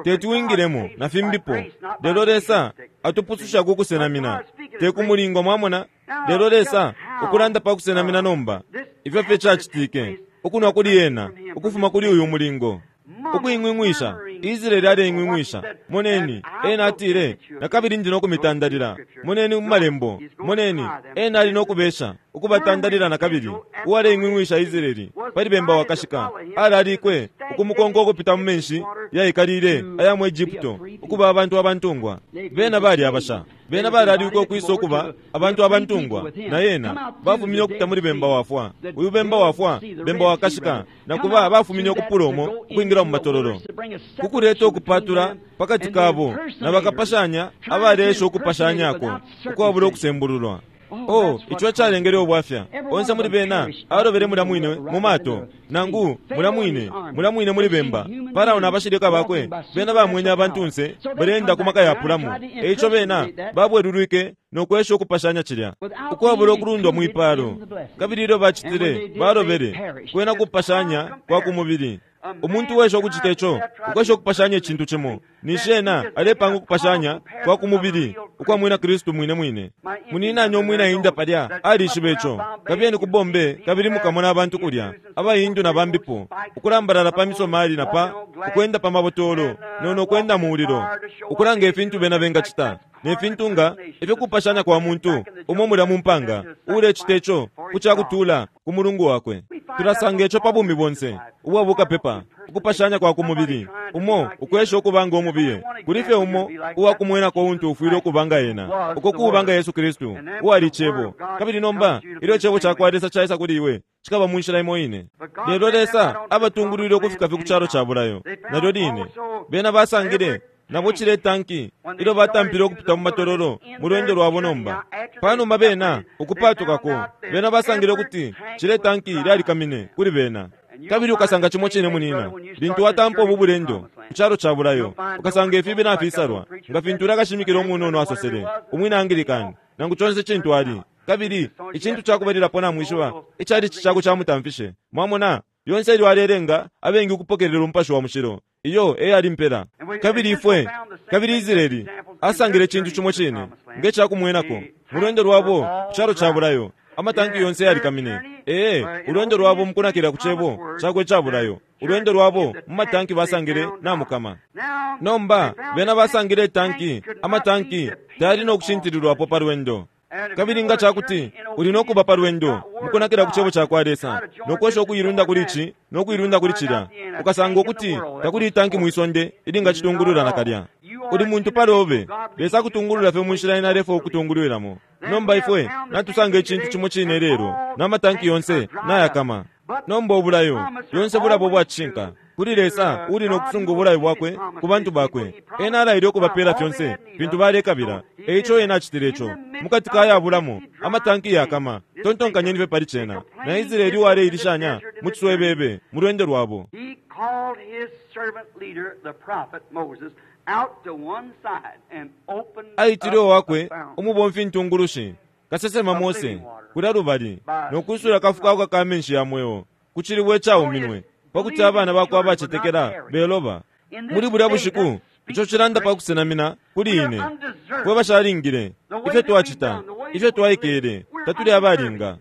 teti wingilemo na fimbipo. Lelo Lesa atupususha ku kusenamina, te ku mulingo, mwamona. Lelo Lesa ukulanda pa kusenamina nomba, ifyo fye cacitike ukunwa kuli ena ukufuma kuli uyu mulingo. Ukuing'wing'wisha, Israeli aleing'wing'wisha. Moneni, ena atile, nakabili ndi no kumitandalila. Moneni mu malembo, moneni, ena ali no kubesha ukubatandalila nakabili. Uwaleing'wing'wisha Israeli pali bemba wakashika, alalikwe ukumukonka ukupita mu menshi yaikalile aya mu Egypto, ukuba abantu abantungwa. Bena bali abasha, bena balalikwe ukwisa ukuba abantu abantungwa na yena. Bafumine ukupita muli bemba wafwa. Uyu bemba wafwa, bemba wakashika, nakuba bafumine ukupula umo ukwingila mu matololo, kukuleta ukupatula pakati kabo na bakapashanya abalesha ukupashanyako ukwabula ukusembululwa. Oh, ico calengele ubwafya. Onse muli bena alobele mulya mwine mu mato, nangu mulya mwine mulya mwine muli bemba. Farao na bashilika bakwe bena bamwenye abantunse baleenda ku maka yapulamo. Eico bena babwelulwike no kwesha ukupashanya cilya ukwabula ukulundwa mwipalo. Kabili ilyo bacitile balobele kwena kupashanya kwa ku mubili. Umuntu wesha ukucita ico, ukwesha ukupashanya icintu cimo, ninshi ena alepanga ukupashanya kwa ku mubili ukwa mwina Kristu mwine mwine. Muninani umwina Hinda palya alishiba ico. Kabiyeni ku Bombay kabili mukamona abantu kulya, abahindu na bambipo, ukulambalala pa misomali na pa ukwenda pa mabotolo nono ukwenda mu mulilo, ukulanga ifintu bena bengacita. ne fintu nga ifyo kupashanya kwa muntu umo mulya mu mpanga ulecita ico ku cakutula ku mulungu wakwe. Tulasanga ico pa bumi bonse ubwa bukapepa, ukupashanya kwa ku mubili umo ukwesha ukubanga umubiye kuli fye umo uwakumwenako untu ufwile ukubanga ena, uko kubanga Yesu Kristu uwali Cebo. Kabili nomba ilyo Cebo cakwa Lesa caisa kuli iwe, cikaba mu nshila imo ine. Lelo Lesa abatungulwile ukufika fye ku calo ca bulayo. Nalyo line bena basangile nabo cile tanki ilyo batampile ukupita mu matololo mu lwendo lwabo. Nomba panuma bena ukupatukako, bena basangile ukuti cile tanki lyalikamine kuli bena. Kabili ukasanga cimo cine munina lintu watampa ubu bulendo ku calo ca bulayo, ukasanga ifibi nafisalwa nga fintu ulakashimikila umunono asosele umwina Anglican nangu conse cintu ali. Kabili icintu cakubalilapo namwishiba icali cicako camutamfishe. Mwamona lyonse ilyo alelenga abengi ukupokelela umupashi wa mushilo, iyo eyali mpela. Kabili ifwe kabili Israeli asangile cintu cimo cine nge cakumwenako mu lwendo lwabo ku calo ca bulayo. Amatanki yonse yalikamine. Ee, ulwendo lwabo mukunakila ku cebo cakwe ca bulayo, ulwendo lwabo mu matanki basangile namukama. Nomba bena basangile tanki, amatanki tayali no kushintililwapo pa lwendo. Kabili nga cakuti uli no kuba pa lwendo mukunakila ku cebo cakwa Lesa no kwesha ukuilunda kuli ici no kuilunda kuli cilya, ukasanga ukuti takuli itanki mwisonde ilingacitungulula nakalya. Uli muntu palobe, Lesa akutungulula fye mu nshila ena alefwaya ukutungulwilamo. Nomba ifwe natusanga icintu cimo cine lelo, n'amatanki yonse nayakama. Nomba ubulayo yonse bulabo bwacishinka kuli Lesa uli no kusunga ubulayo bwakwe ku bantu bakwe. Ena alaile ukubapela fyonse fintu balekabila, eico ena acitile ico mukati ka yabulamo amatanki yakama. Tontonkanyeni fye pali cena na Israeli uwaleilishanya mu ciswebebe mu lwendo lwabo. He called his servant leader, the prophet Moses, out to one side and opened Aitile up owakwe a fountain. umubomfi ntungulushi kasesema Mose kulya lubali no kwisula kafukauka ka menshi ya mweo ku cilibwe cauminwe pakuti abana bakwe abacetekela beloba. Muli bulya bushiku ico cilanda pa kusenamina kuli ine fwe bashalingile ifyo twacita ifyo twaikele tatuli abalinga.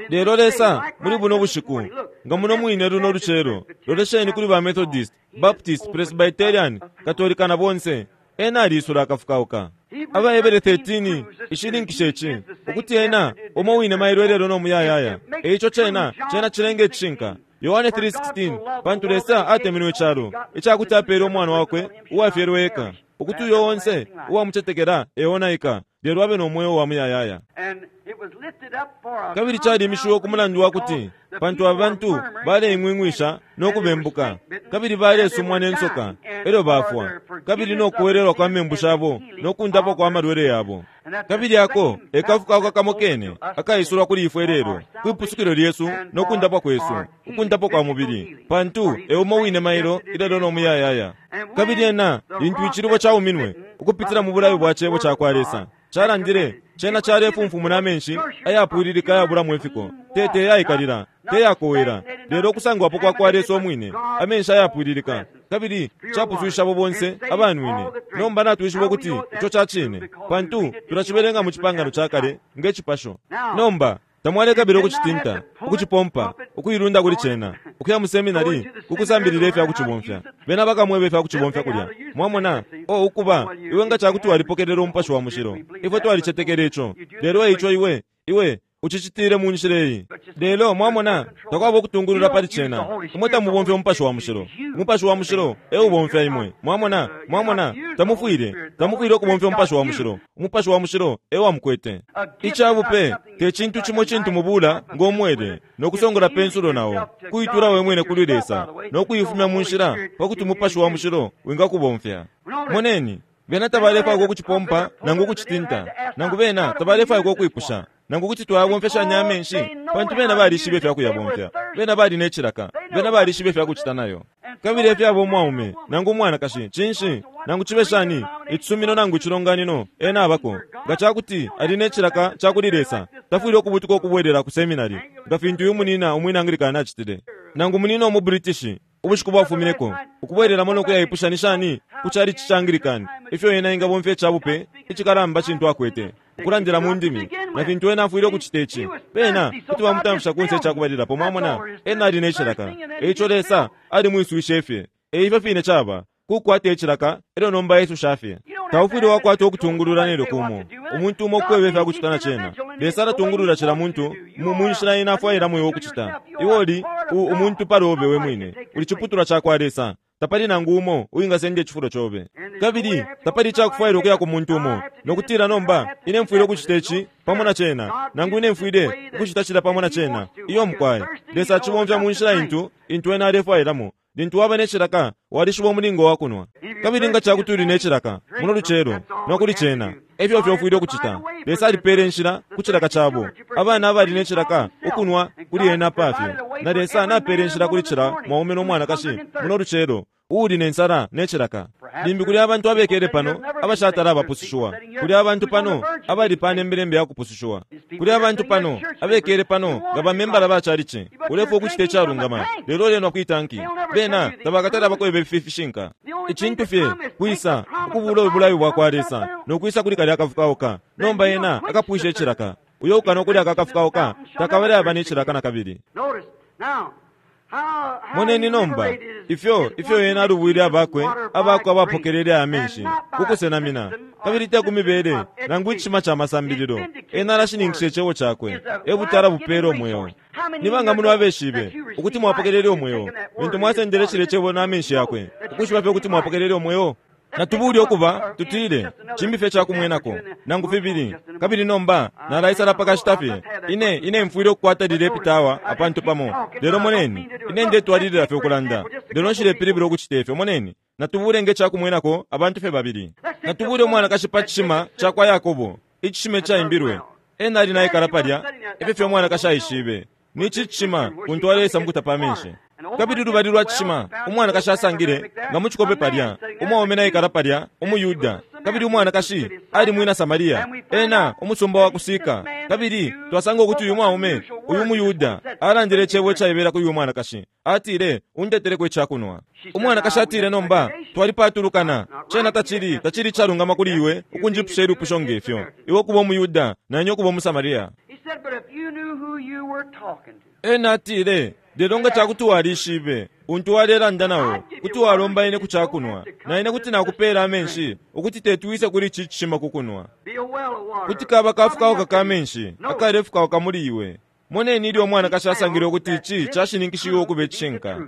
Lelo Lesa muli buno bushiku nga muno mwine luno lucelo, lolesheni kuli ba Methodist, Baptist, Presbyterian, Katolika na bonse, ena alisula akafukauka. Abahebere thirteen ishininkisha ici ukuti ena umo wine mailo elelo no muyayaya. Eico cena cena cilenge icishinka. Yohane three sixteen, pantu Lesa atemenwe icalo icakuti apele umwana wakwe uwafyelwe eka, ukuti uyo onse uwamucetekela eonaika lelo abe no mweo wa muyayaya. And it was lifted up for a Kabili calimishiwe ku mulandu wa kuti pantu abantu baleing'wing'wisha no kubembuka, kabili balesumwa ne nsoka elyo bafwa, kabili no kuwelelwa kwa membu shabo no kundapwa kwa malwele yabo. Kabili ako ekafukauka kamo kene akaisulwa kuli ifwe lelo kwipusukilo lyesu no kundapwa kwesu, ukundapwa kwa mubili, pantu eumo wine mailo ilelo no muyayaya. Kabili ena lintu icilibwe cauminwe ukupitila mu bulayo bwa cebo cakwa Lesa calandile, cena calefumfumuna amenshi ayapwililika ayabulamo ifiko, tete yaikalila teyakowela, lelo okusangwapo kwa kwa Lesa omwine amenshi ayapwililika, kabili capuswisha abo bonse abanwine. Nomba natwishiba ukuti ico ca cine, pantu tulacibelenga mu cipangano ca kale nge cipasho. Nomba tamwalekabila ukucitinta, ukucipompa, ukuilunda kuli cena, ukuya mu seminari kukusambilila ifya kucibomfya. Bena bakamweba ifya kucibomfya kulya. Mwamona o ukuba iwe nga cakuti walipokelela umupashi wa mushilo, ifwe twalicetekela ico, lelo eico iwe iwe ucicitile mu nshila iyi. Lelo mwamona takwaba ukutungulula pali cena. Imwe tamubomfya umupashi wa mushilo, umupashi wa mushilo eubomfya imwe. Mwamona mwamona tamufwile tamufwile ukubomfya umupashi wa mushilo, umupashi wa mushilo ewamukwete. Icabupe te cintu cimo cintu mubula ng'omwele no kusongola pensulo nawo, kuitura we mwine kuli Lesa no kuifumya mu nshila pakuti umupashi wa mushilo wingakubomfya. Moneni, bena tabalefwaya ukucipompa nangu ukucitinta, nangu bena tabalefwaya ukwipusha nangu kuti twayabomfeshanya amenshi, pantu bena balishibe ifya kuyabomfya, bena bali ne cilaka, bena balishibe ifya kucita nayo. Kabili efyaba umwaume nangu umwanakashi, cinshi nangu cibe shani icisumino nangu icilonganino ena abako, nga cakuti ali ne cilaka ca kuli Lesa, tafwile ukubutuka ukubwelela ku seminari nga fintu uyu munina umwina Anglikana acitile, nangu munina umu British ubushiku bwafumineko ukubwelelamo no kuyaipusha ni shani ku chalichi ca Anglican ifyo ena ingabomfya icabupe icikalamba cintu akwete ukulandila mu ndimi na fintu ena afwile ukucita ici. Bena kuti bamutamfisha kunse icakubalilapo. Mwamona ena ali ne cilaka, eico Lesa alimwiswishe fye. Eifyo fine caba kukwata icilaka elyo nomba Yesu shafye. Taufwile wakwata ukutungulula nelyo kumo umuntu umo kukweba ifya kucita na cena. Lesa alatungulula cila muntu mu munshila ena afwailamo iwe ukucita. Iwe uli umuntu palobe we mwine, uli ciputulwa cakwa Lesa. Tapali nangu umo uwingasenda icifulo cobe, kabili tapali icakufwaila ukuya ku muntu umo nokutila nomba ine mfwile ukucita ici pamo na cena, nangu ine mfwile ukucita cila pamo na cena. Iyo mukwai, Lesa acibomfya mu nshila intu intu ena alefwailamo. Lintu waba ne cilaka, walishiba umulingo wa kunwa. Kabili nga cakuti uli ne cilaka muno lucelo nokuli cena, efyo fyo ufwile ukucita. Lesa alipele inshila ku cilaka cabo abana abali ne cilaka ukunwa kuli ena pafye, na Lesa napele inshila kuli cila mwaume no mwanakashi muno lucelo uuli ne nsala ne cilaka. Limbi kuli abantu abekele pano abashatala abapusushiwa, kuli abantu pano abali pa nembelembe ya kupusushiwa, kuli abantu pano abekele pano nga bamembala ba chalichi, ulefwa ukucita icalungama lelo ulenwa kwitanki. Bena tabakatala bakweba ifi fishinka. Icintu fye kwisa ukubula ubulayo bwakwa Lesa nokwisa kuli kalya akafukauka. Nomba ena akapwisha icilaka. Uyo ukana ukulya akafukauka takabale aba ne cilaka na kabili. Moneni nomba ifyo ifyo ena alubwile abakwe abakwe abapokelele amenshi kukusenamina, kabili te kumibele nangu icishima ca masambililo. Ena alashininkisha icebo cakwe, ebutala bupela umweo. Nibanga muno abeshibe ukuti mwapokelele umweo lintu mwasendele cile cebo na amenshi yakwe, ukushiba fye ukuti mwapokelele umweo? Natubuli okuba tutile cimbi fye cakumwenako nangu fibili. Kabili nomba nalaisala pakashita fye ine ine mfwile ukukwata lile pitawa apantu pamo. Lelo moneni, ine ndetwalilila fye ukulanda, lelo nshilepilibula ukucita ifyo. Moneni, natubule nge cakumwenako abantu fye babili. Natubule umwanakashi pa cishima cakwa Yakobo, icishima caimbilwe. Ena ali naikala palya, efyo fye umwanakashi aishibe ni ici cishima kuntu alesa mukutapa amenshi. Kabili lubali lwa cishima umwanakashi asangile nga mu cikope palya umwaume naikala palya umuYuda, kabili umwanakashi ali mwina Samaria, ena umusumba wa kusika. Kabili twasanga ukuti uyu mwaume uyu muYuda alandile icebo icaibela kuli uyu mwanakashi. Atile, undeteleko icakunwa. Umwanakashi atile, nomba twalipatulukana, cena tacili tacili icalungama kuli iwe ukunjipusha ilipusho ngefyo, iwe ukuba umuYuda nanye ukuba umuSamaria. Ena atile, lelo nga cakuti walishibe untu walelanda nawo, kuti walomba ine ku cakunwa, na ine kuti nakupela amenshi ukuti tetwise kuli ici cishima kukunwa. Kuti kaba kafukauka ka menshi akalefukauka muli iwe. Moneni ilyo umwanakashi asangile ukuti ici cashininkishiwe ukuba icishinka.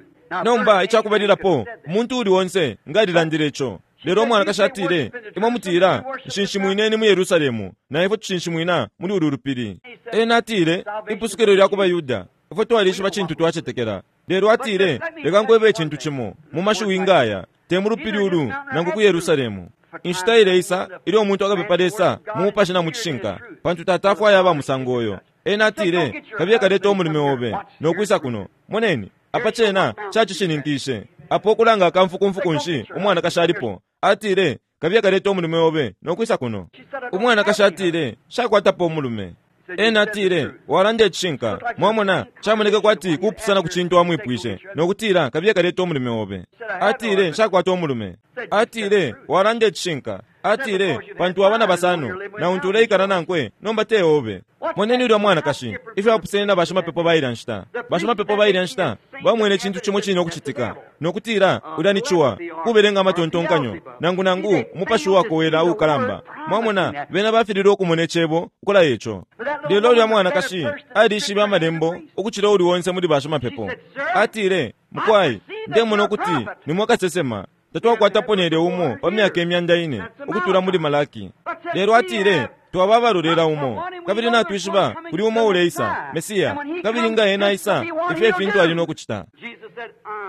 Nomba icakubalilapo umuntu uli onse nga alilandile ico. Lelo umwanakashi atile, imwe mutila nshinshimwineni mu Yerusalemu, na ifwe tushinshimwina muli ulu lupili. Ena atile, ipusukilo lya kuba Yuda, ifwe twalishiba cintu twacetekela. Lelo atile, leka nkwebe icintu cimo mu mashiwi ngaya, te mu lupili ulu nangu ku Yerusalemu. Inshita ileisa ilyo umuntu akapepa Lesa mu mupashi na mu cishinka, pantu Tata afwaya aba musango uyo. Ena atile, kabiye kaleta umulume obe nokwisa kuno. Moneni apa cena cacishininkishe apo ukulanga akamfukumfukunshi umwanakashi alipo. Atile, kabiye kaleta umulume obe nokwisa kuno. Umwanakashi atile, shakwatapo umulume. Ena atile, walanda icishinka. Mwamona, camoneka kwati kupusana ku cintu amwipwishe nokutila kabiye kaleta umulume obe. Atile, nshakwata umulume. Atile, walanda icishinka. Atile, pantu abana basano na untu uleikala nankwe nomba te obe. Moneni ulya mwanakashi ifyo apusene na bashimapepo bailya nshita. Bashimapepo bailya nshita bamwene icintu cimo cine ukucitika nokutila ulya ni ciwa kubelenga amatontonkanyo nangu nangu umupashi wakowela uukalamba. Mwamona, bena bafililwe ukumona icebo ukulaya ico. Lelo ulya mwanakashi alishibe amalembo ukucila uli onse muli bashimapepo. Atile, mukwai, ndemona ukuti nimwe kasesema. Tatwakwatapo nelyo umo pa myaka imyanda ine ukutula muli Malaki. Lelo atile, twaba abalolela umo, kabili natwishiba kuli umo uleisa Mesiya, kabili nga ena aisa ifyo ifintu ali nokucita.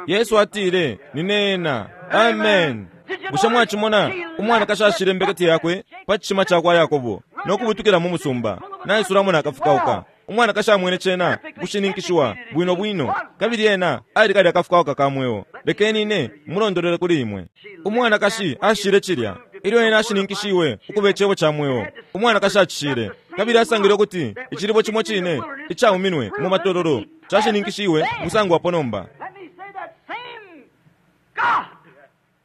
Yesu atile, nine ena. Amen. Bushe mwacimona umwanakashi ashile imbeketi yakwe pa cishima cakwa Yakobo nokubutukila mu musumba naisulamo nakafukauka. Umwanakashi amwene cena kushininkishiwa bwino bwino, kabili ena ali kalya akafukauka ka mweo. Lekeni ine mulondolele kuli imwe. Umwanakashi ashile cilya ilyo ena ashininkishiwe ukuba icebo ca mweo. Umwanakashi acishile, kabili asangile ukuti icilibo cimo cine icauminwe mu matololo cashininkishiwe musangwapo nomba.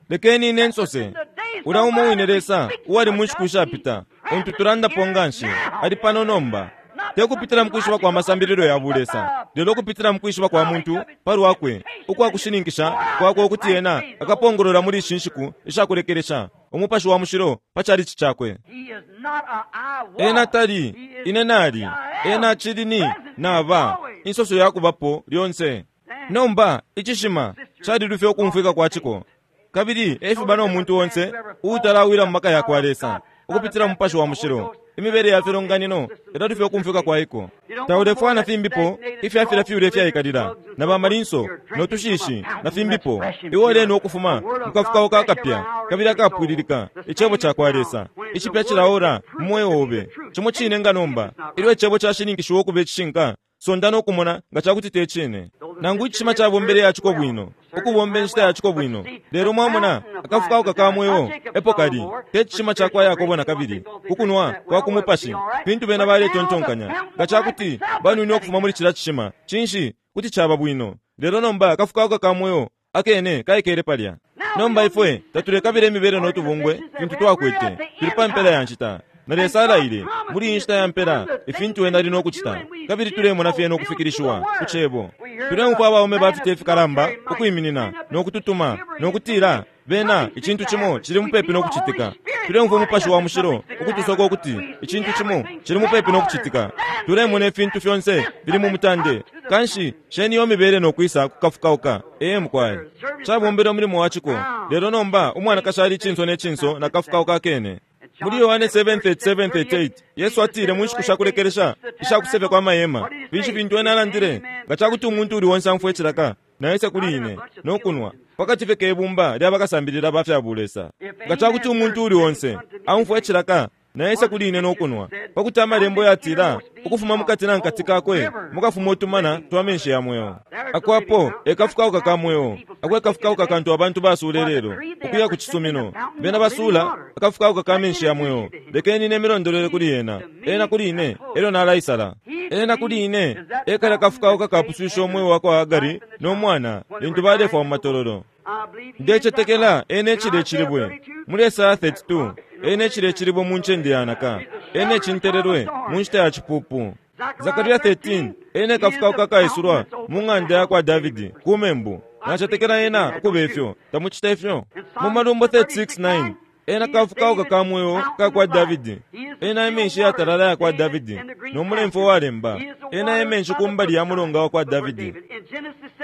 Lekeni ine nsose, ulya umo wine Lesa uwali mu nshiku ishapita untu tulandapo nganshi ali pano nomba. Te kupitila mukwishiba kwa masambililo ya bulesa, lelo kupitila mukwishiba kwa muntu palwakwe ukwa kushininkisha kwakwe ukuti ena akapongolola muli ishi nshiku ishakulekelesha umupashi wa mushilo pa chalichi chakwe. Ena tali ine nali, ena chili ni naba insoso yakubapo lyonse. Nomba icishima chalilufya ukumfwika kwa chiko, kabili efiba no muntu onse utalawila mu maka ya kwa Lesa ukupitila mupashi wa mushilo. Imibele ya filonganino ilalufya ukumfwika kwa iko. Taulefwana fimbipo ifyafila fiule fyaikalila na bamalinso no tushishi na fimbipo. Iwe leno ukufuma mukafukao kakapya kabili akapwililika icebo cha kwa Lesa icipya chilaora mumweyo obe. Chimo chine nga nomba ilyo icebo chashininkishiwa ukuba icishinka, sonda no kumona nga chakuti te chine. Nangu icishima chabombele yachiko bwino ukubomba inshita yachiko bwino, lelo mwamona akafukao kakamweyo epo kali te cishima chakwa Yakobo na kabili kukunwa kwa kumupashi. Fintu bena baletontonkanya nga chakuti banwine okufuma muli chila cishima, chinshi kuti chaba bwino. Lelo nomba akafukao kakamweyo akene kaikele palya. Nomba ifwe tatulekabila imibele notubungwe fintu twakwete tuli pa mpela ya nshita. Na Lesa alaile muli inshita ya mpela ifintu ena ali nokucita, kabili tulemona fyena ukufikilishiwa ku cebo. Tuleumfwa abaume bafite ifikalamba ukwiminina nokututuma nokutila bena icintu cimo cili mupepi nokucitika. Tuleumfwa umupashi wa mushilo ukutusoka ukuti icintu cimo cili mupepi nokucitika. Tulemona ifintu fyonse bili mu mutande. Kanshi sheni yo mibele nokwisa kukafukauka. Ee mukwai, chabombele umulimo wa chiko. Lelo nomba umwanakashi ali chinso ne chinso na kafukauka kene. Muli Yohane seven thirty-seven thirty-eight Yesu atile mu nshiku shakulekelesha ishakusefya kwa mahema, finshi fintu ena alandile? Nga chakuti umuntu uli onse amfwe icilaka naese kuli ine nokunwa pakati fye kebumba lya bakasambilila ba fya bulesa. Nga chakuti umuntu uli onse amfwe icilaka naese kuli ine nokunwa, pakuti amalembo yatila ukufuma mukati na nkati kakwe mukafuma utumana twa menshi ya mweo. Akwapo ekafukauka ka mweo, akwe kafukauka kantu abantu basule lelo ukuya ku cisumino. Bena basula akafukauka ka menshi ya mweo. Lekeni ine milondolele kuli ena, ena kuli ine elyo nalaisala. Ena kuli ine ekala kafukauka kapuswisha omweo wa kwa Hagari no mwana lintu balefwa mu matololo. Ndechetekela ene chile chilibwe muli Esaya thirty-two, ene chile chilibwe mu ncende yanaka, ene chintelelwe mu nshita ya chipupu. Zakaria thirteen, ene kafukauka kaisulwa mu ng'anda ya kwa Davidi ku membu. Nachetekela ena ukuba ifyo, tamuchita ifyo. Mu Malumbo thirty-six nine, ena kafukauka ka mweo ka kwa Davidi, ena emenshi yatalala ya kwa Davidi no mulemfo walemba, ena emenshi kumbali ya mulonga wa kwa Davidi.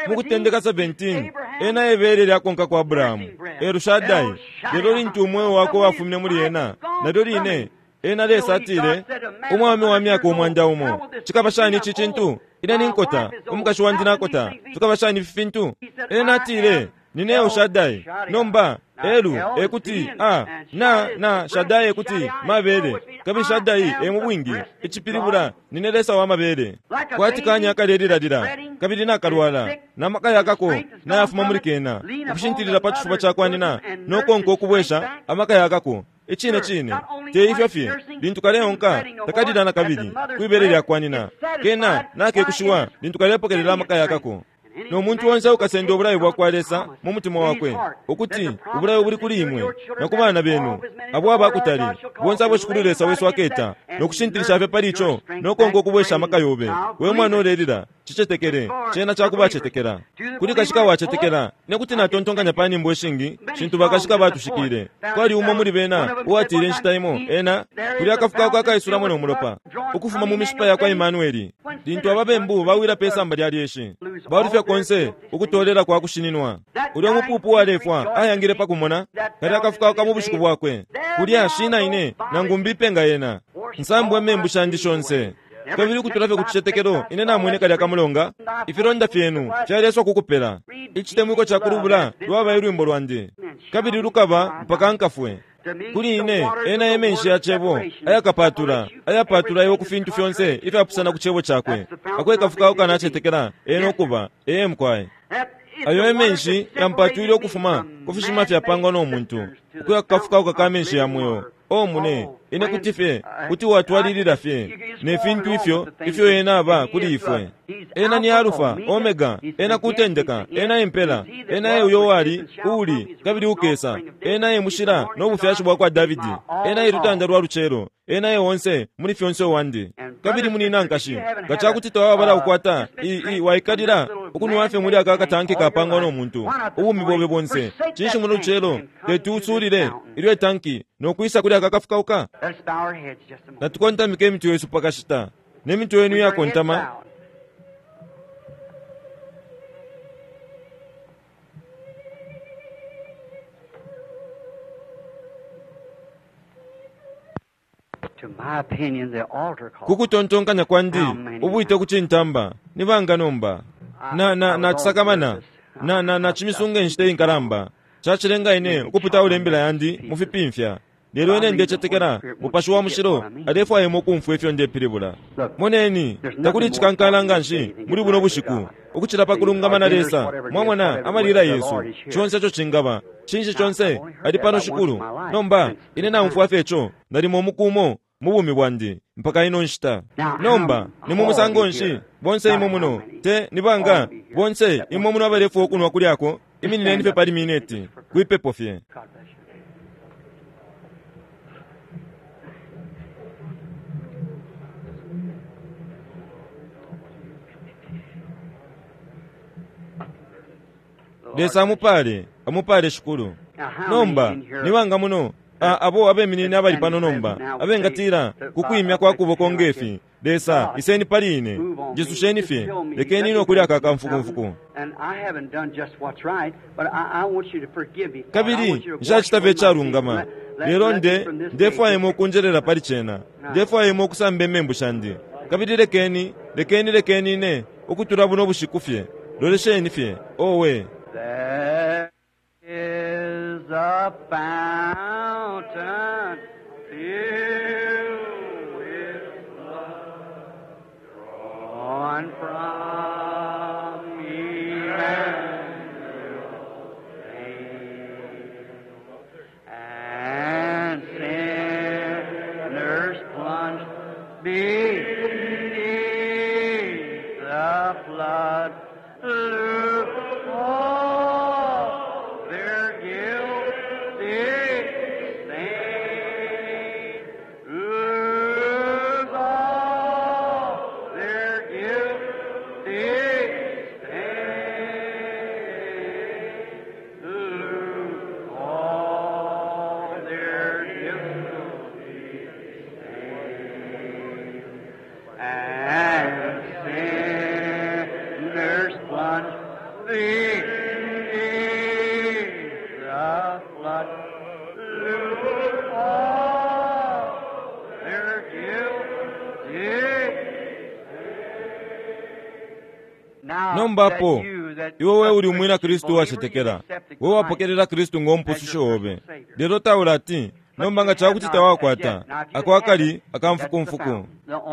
Mukutendeka seventeen, ena ebele lyakonka kwa Abrahamu Erushadai. Lelo lintu umweo wakwe wafumine muli ena, nalyo line ena Lesa atile umwami wa myaka umwanda umo, chikaba shani ichi chintu? Ine ninkota, umukashi wandi nakota, fikaba shani ifi fintu? Ena atile nine Erushadai. Nomba Elu ekuti a na na Shaddai ekuti mabele, kabili Shaddai e mu bwingi icipilibula nine Lesa wa mabele. Kwati kanya kalelilalila kabili nakalwala na maka yakako nayafuma muli kena ukushintilila pa chifuba chakwanina nokonka okubwesha amaka yakako. Icine cine te ifyo fye lintu kaleonka takalila na kabili kwibele lyakwanina kena nakekushiwa lintu kalepokelela amaka yakako. No muntu onse ukasenda obulayo bwa kwa Lesa mu mutima wakwe ukuti ubulayo buli kuli imwe na ku bana benu abo abakutali bonse abo shikulu Lesa wesu aketa nokushintilisha fye pali ico nokonka okubwesha amaka yobe. We mwana olelila chichetekele chena chakubachetekela kuli kashika wachetekela nekuti natontonkanya pa nyimbo ishingi shintu bakashika batushikile. Kwali umo muli bena uwatile inshita imo ena kuli akafukauka akaisulamo no mulopa ukufuma mu mishipa ya kwa Emmanueli lintu ababembu bawila pe samba lya lyeshi balufya konse ukutolela kwa kushininwa. Ulyo mupupu walefwa ayangile pakumona kali akafukauka mu bushiku bwakwe kulya shina ine nangu mbipenga yena nsambwe membu shandi shonse. Kabili kutulafye kuchichetekelo ine namwene kali akamulonga ifilonda fyenu fyaleswa kukupela ichitemwiko cha kulubula lwaba ilwimbo lwandi kabili lukaba mpaka nkafwe. Kuli ine ena emenshi ya chebo ayakapatula ayapatula iwo ku fintu fyonse ifyapusana ku chebo chakwe akwe kafukauka nachetekela ena okuba ee mukwaye. Ayo emenshi yampatwile okufuma ku fishima fyapangwa no muntu ukuya kukafukauka ka menshi ya mweo. O mune ine kuti fye kuti watwalilila fye ne fintu ifyo ifyo ena aba kuli ifwe. Ena ni Alufa, Omega, ena kutendeka, ena impela, ena e uyo wali, uuli, kabili ukesa, ena e mushila no bufyashi bwa kwa Davidi, ena e lutanda lwa lucelo, ena e onse muli fyonse wandi. Kabili munina nkashi, nga cakuti tawabala ukwata, i, i, waikalila, ukunwa fye muli aka katanki kapangwa no muntu, ubumi bobe bonse, cinshi muno lucelo, teti usulile, ilyo itanki, no kwisa kuli aka kafukauka. Natukontamike imitwe yesu pakashita, ne mitwe yenu yakontama. Kukutontonkanya kwandi ubwite kucintamba nibanga nomba na na nacisakamana na na nacimisunga inshita inkalamba cacilenga ine ukuputaula imbila yandi mufipimfya. Lelo ine ndecetekela Mupashi wa Mushilo alefwaya imwe ukumfwa ifyo ndepilibula. Moneni, takuli icikankala nganshi muli buno bushiku ukucila pa kulungama na Lesa. Mwamona amalila Yesu conse ico cingaba cinshi conse ali pano Shikulu. Nomba ine naumfwa fye ico nalimo umukumo mu bumi bwandi mpaka ino nshita. Nomba ni mu musango nshi bonse imwe muno te nibanga bonse imwe muno abalefwa ukunwa kulyako iminineni fye pali mineti kwipepo fye. Lesa amupale, amupale Shikulu. Nomba nibanga muno abo abeminine abali pano nomba abengatila kukwimya kwa kuboko ngefi, Lesa iseni pali ine, njisusheni fye, lekeni ino kuli aka kamfukumfuku. Kabili nshacita fye icalungama, lelo nde ndefwaya imwe ukunjelela pali cena, ndefwaya imwe ukusamba imembu shandi. Kabili lekeni lekeni lekeni ine ukutula buno bushiku fye, lolesheni fye owe. There is a fountain filled with blood, drawn from Emmanuel's veins, and sinners plunge beneath the flood. Look all their guilty stain. Lose all their guilty stain. Lose all their guilty stain. And sinners plunge beneath the flood. Lose all their guilty. Nomba apo iwe we uli umwina Kristu wacetekela, we wapokelela Kristu ng'omupususho obe, lelo taula ati nomba nga cakuti tawakwata ako akali akamfukumfuku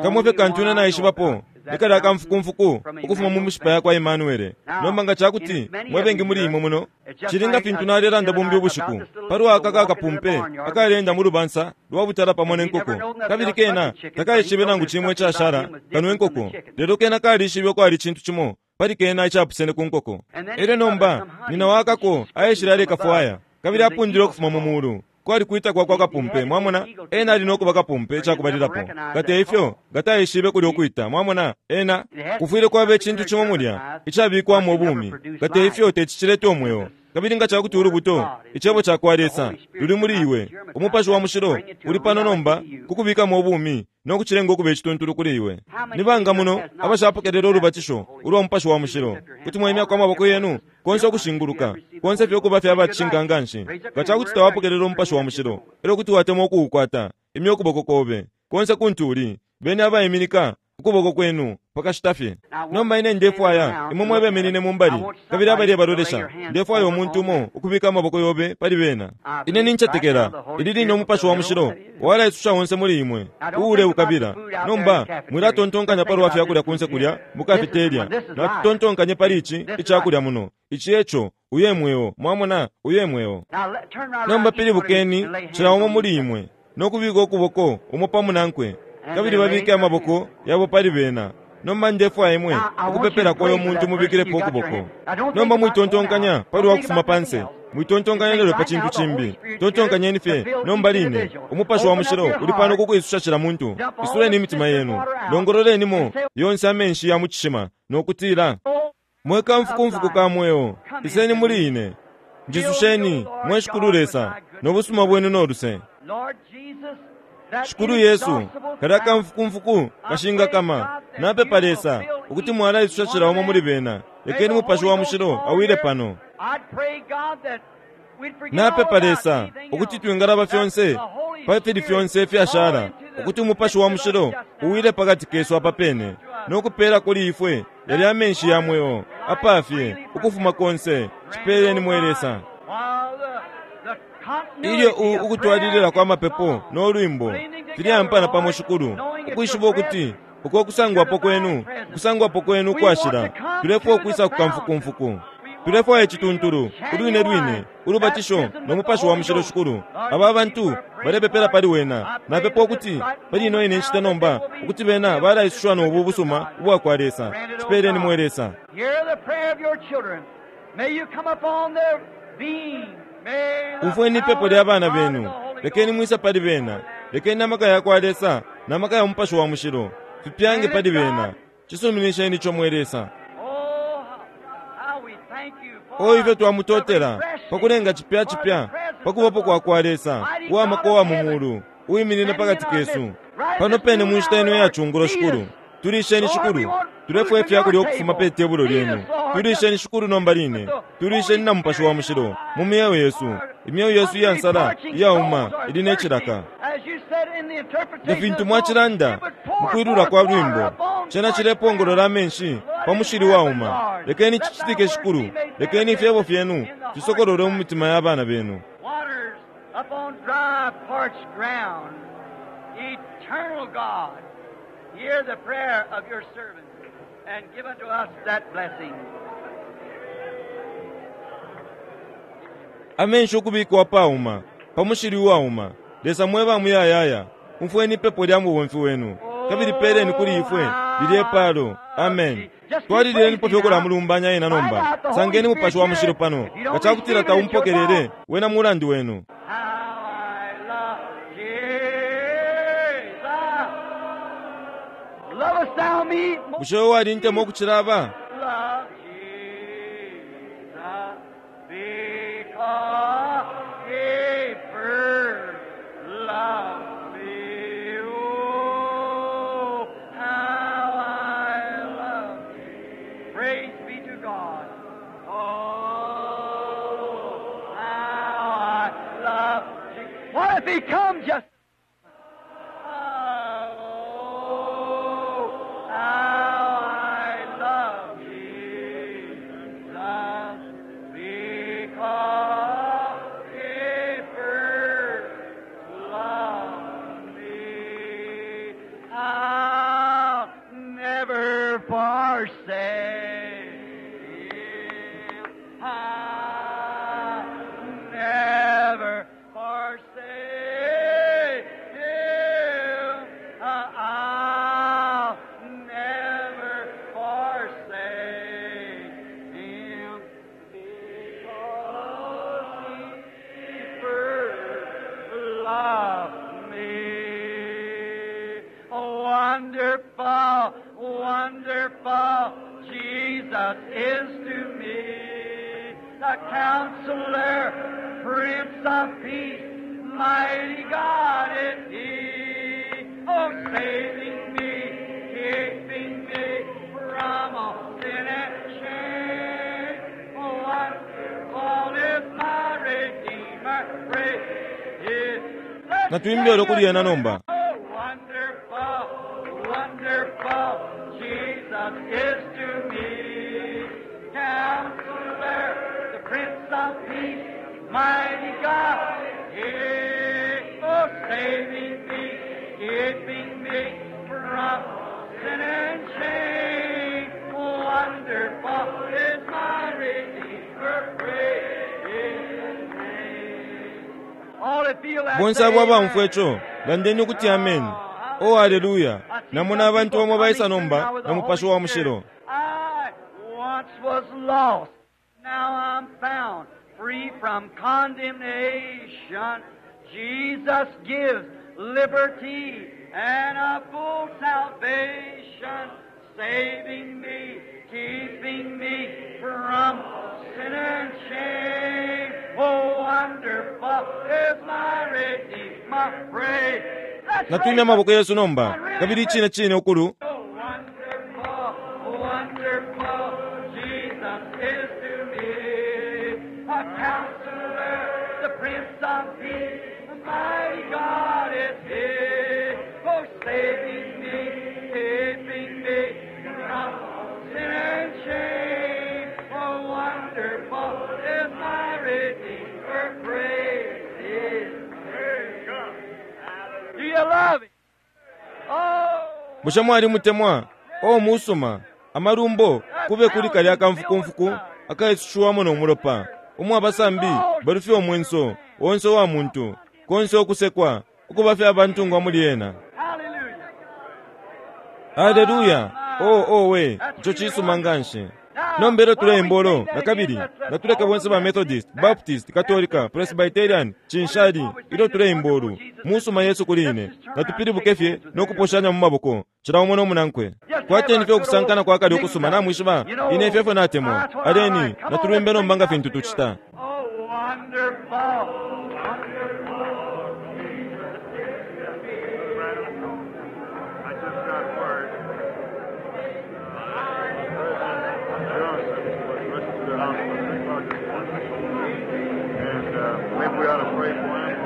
kamwe fye kantu ine naishibapo likali akamfukumfuku ukufuma mu mishipa yakwa Emmanuele. Nomba nga cakuti mwebengi muli imwe muno cilinga fintu nalelanda bumbi ubushiku palwa aka kakapumpe akalenda mu lubansa lwa butala pamo ne nkoko, kabili kena takaishibe nangu cimwe icashala kano inkoko, lelo kena kalishibe kwali cintu cimo pali kena icapusene ku nkoko. Elyo nomba nina wakako aishile alekafwaya kabili apundile ukufuma mu mulu kwali kwita kwa kwa kapumpe. Mwamona ena ali nokuba kapumpe icakubalilapo, ngate ifyo ngataishibe kuli ukwita. Mwamona ena kufwile kwaba icintu cimo mulya icabikwamo ubumi, ngate ifyo tecicileta umweo. Kabili nga cakuti ulubuto icebo cakwa Lesa luli muli iwe, Umupashi wa Mushilo uli pano nomba kukubikamo ubumi no kucilenga ukuba icituntulu kuli iwe. Nibanga muno abashapokelela ulubatisho ulwa Mupashi wa Mushilo, kuti mwaimyako amaboko yenu konse ukushinguluka konse fye ukuba fye abacishinka nganshi. Nga cakuti tawapokelela Umupashi wa Mushilo, elyo kuti watemwa ukuukwata, imya ukuboko kobe konse kuntu uli, beni abaiminika ukuboko kwenu pakashita fye. Nomba ine ndefwaya imwe mwebemenine mumbali kabili abali balolesha, ndefwaya umuntu umo ukubika amaboko yobe pali bena. Ine nincetekela ili line Umupashi wa Mushilo walaisusha onse muli imwe uule ukabila. Nomba mwilatontonkanya palwa fyakulya kunse kulya mu kafeteria, natutontonkanye pali ici icakulya muno, ici eco uye mweo. Mwamona uye mweo. Nomba pilibukeni cila umo muli imwe nokubika ukuboko umo pamunankwe, kabili babike amaboko yabo pali bena. Nomba ndefwaya imwe ukupepela kwayo muntu mubikilepo ukuboko. Nomba mwitontonkanya pali wakufuma panse, mwitontonkanya lelo pa cintu cimbi, tontonkanyeni fye nomba line. Umupashi wa Mushilo uli pano kukwisusha cila muntu. Isuleni imitima yenu, longololenimo yonse amenshi ya mu cishima no kutila, mwe kamfukumfuku ka mweo, iseni muli ine, njisusheni mwe Shikulu Lesa no busuma bwenu no luse. Shikulu Yesu, kalya kamfukumfuku kashinga kama, napepa Lesa ukuti mwalaisusha cila umo muli bena. Lekeni Mupashi wa Mushilo awile pano. Napepa Lesa ukuti twingalaba fyonse pafili fyonse ifyashala, ukuti Umupashi wa Mushilo uwile pakati kesu apa pene no kupela kuli ifwe yali amenshi ya mweo apafye ukufuma konse. Cipeleni mwe Lesa. Ilyo ukutwalilila kwa mapepo no lwimbo filyampana pamo, Shikulu, ukwishiba ukuti uko kusangwapo kwenu, kusangwapo kwenu kwashila, tulefwaya ukwisa kukamfukumfuku, tulefwaya icituntulu ulwine lwine ulubatisho no Mupashi wa Mushilo. Shikulu, aba bantu balepepela pali wena. Napepa ukuti pali ino ine nshita nomba ukuti bena balaisushiwa no bu busuma ubwa kwa Lesa. Cipeleni mwe Lesa. Umfweni ipepo lya bana benu, lekeni mwisa pali bena, lekeni amaka ya kwa Lesa na maka ya Mupashi wa Mushilo fipyange pali bena. Cisuminisheni ico mwe Lesa. O ifyo twamutotela pakulenga cipya cipya pakubapo kwa kwa Lesa uwamaka wa mu mulu uwiminine pakati kesu pano pene mu nshita ino ya chungulo. Shikulu, tulisheni Shikulu, tulefwaya ifyakulya ukufuma pe tebulo lyenu. Tulisheni Shikulu nomba line, tulisheni na Mupashi wa Mushilo mu myeo yesu. Imyeo yesu iyansala iyauma ili ne cilaka. Nga fintu mwacilanda mukwilula kwa lwimbo, cena cilepongolola amenshi pa mushili wauma. Lekeni cicitike Shikulu, lekeni ifyebo fyenu fisokolole mu mitima ya bana benu. Hear the prayer of your servants and give unto us that blessing. Amenshi ukubikwa pauma pa mushili uwauma. Lesa mweba muyayaya, umfweni ipepo lya mubomfi wenu kabili peleni kuli ifwe lilye palo. Amen. Twalililenipo fye ukulamulumbanya ena nomba. Sangeni Mupashi wa Mushilo pano, nga cakutila taumpokelele wena mulandu wenu. Bushe wewe walintema ukucila aba? What if he come just Wonderful, wonderful Jesus is to me, the Counselor, Prince of Peace, mighty God is He. Oh, saving me, keeping me from all sin and shame. Oh, wonderful is my Redeemer, praise His. Natuimbile olokuliyana nomba. Wonderful Jesus is to me, Counselor, the Prince of Peace, mighty God, He, oh, saving me, keeping me from sin and shame. Wonderful is my Redeemer, praise His name. All that feel that Bonse say abo abamfwa amen. ico, landeni ukuti amen. Oh, haleluya! Namona abantu bamo baisa nomba na Mupashi wa Mushilo. I once was lost, now I'm found, free from condemnation. Jesus gives liberty and a full salvation, saving me, keeping me from sin and shame. Oh, wonderful is my Redeemer. Praise. Let's Natwimya raise up. amaboko yesu nomba kabili icine cine ukulu. Oh, wonderful, wonderful Jesus is to me. A counselor, the Prince of Peace, the mighty God is he. Oh, saving me, keeping me from sin and shame. Oh, wonderful is my Redeemer. Praise His. Do you love Him? Oh! Bushe mwali mutemwa o musuma amalumbo kube kuli kalya akamfukumfuku akaisushiwamo no mulopa umwe abasambi balufye omwenso onse wa muntu konse okusekwa ukuba fye abantungwa muli ena. Hallelujah. Haleluya! O owe, ico cisuma nganshi. Nomba ilyo tuleimba ulo nakabili natuleke bonse ba Methodist, Baptist, Katolika, Presbyterian, cinshali ilyo tuleimba ulu musuma Yesu kuli ine natupilibuke fye no kuposhanya mu maboko cila umo no munankwe. Kwateni fye ukusankana kwa kale ukusuma namwishiba ine ifyo efyo natemwa. Aleni natulwimbe nomba nga fintu tucita. Oh, wonderful, wonderful. I just got word. President Johnson was rushed to the hospital at three o'clock this morning. And uh, maybe we ought to pray for him.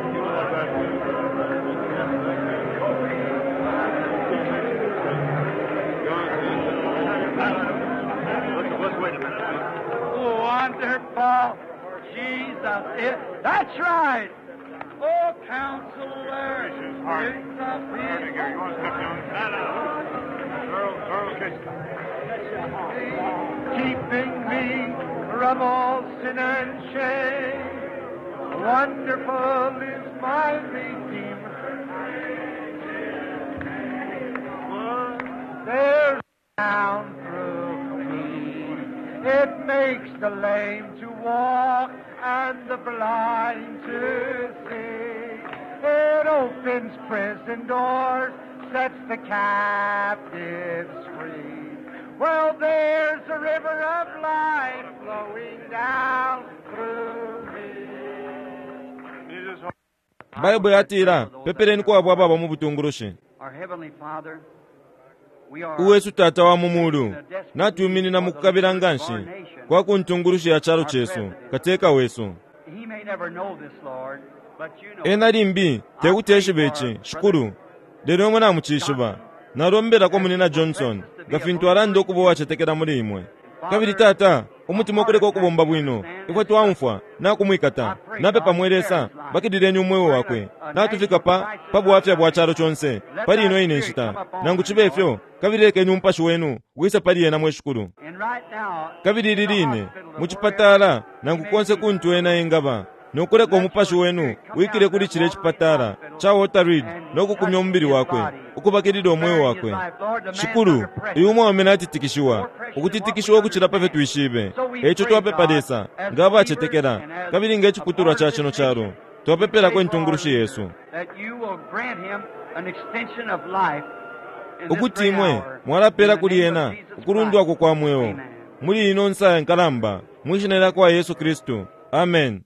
You know what that means? Let's, let's wait a minute. Wonderful. Jesus is. That's right. Oh, counselor. Hard. Prince of Here, Peace. you want to step down? Earl, Earl Kitchen. Keeping me from all sin and shame. Wonderful is my Redeemer. There's down through me. It makes the lame to walk and the blind to see. It opens prison doors, sets the captives free. Well, there's a river of life flowing down through me. Jesus, Bible yatila pepeleni kwabo ababa mu butungulushi. Our Heavenly Father, we are Uwesu Tata wa mu mulu natwiminina mu kukabila nganshi kwa kuntungulushi ya chalo chesu kateka wesu. He may never know this, Lord, but you know. Ena limbi tekuti eshibe ici shikulu lelo imwe namucishiba nalombelako munina Johnson nga fintu alanda ukuba uwacetekela muli imwe. Kabili Tata umutima ukuleka ukubomba bwino ifwe twaumfwa nakumwikata napepa mwe Lesa bakidileni umweo wakwe natufika pa pa bwafya bwa chalo chonse pali ino ine nshita nangu chibe ifyo kabili lekeni umupashi wenu wise pali ena mwe shikulu. And right now, Kabili ili line mu chipatala nangu konse kuntu ena engaba nokuleka umupashi wenu wikile kuli chile chipatala cha Walter Reed nokukumya umubili wakwe ukubakilila umweo wakwe. Shikulu uyu umwaume natitikishiwa ukutitikishiwa ukucila pafyo twishibe eco twapepa Lesa nga abacetekela kabili nga iciputulwa cha chino chalo twapepelako intungulushi yesu that you will grant him an extension of life in this ukuti great imwe hour. mwalapela In the kuli name ena of Jesus ukulundwako Christ. kwa mweo Amen. muli ino nsa nkalamba mwishina lya kwa Yesu Kristu. Amen.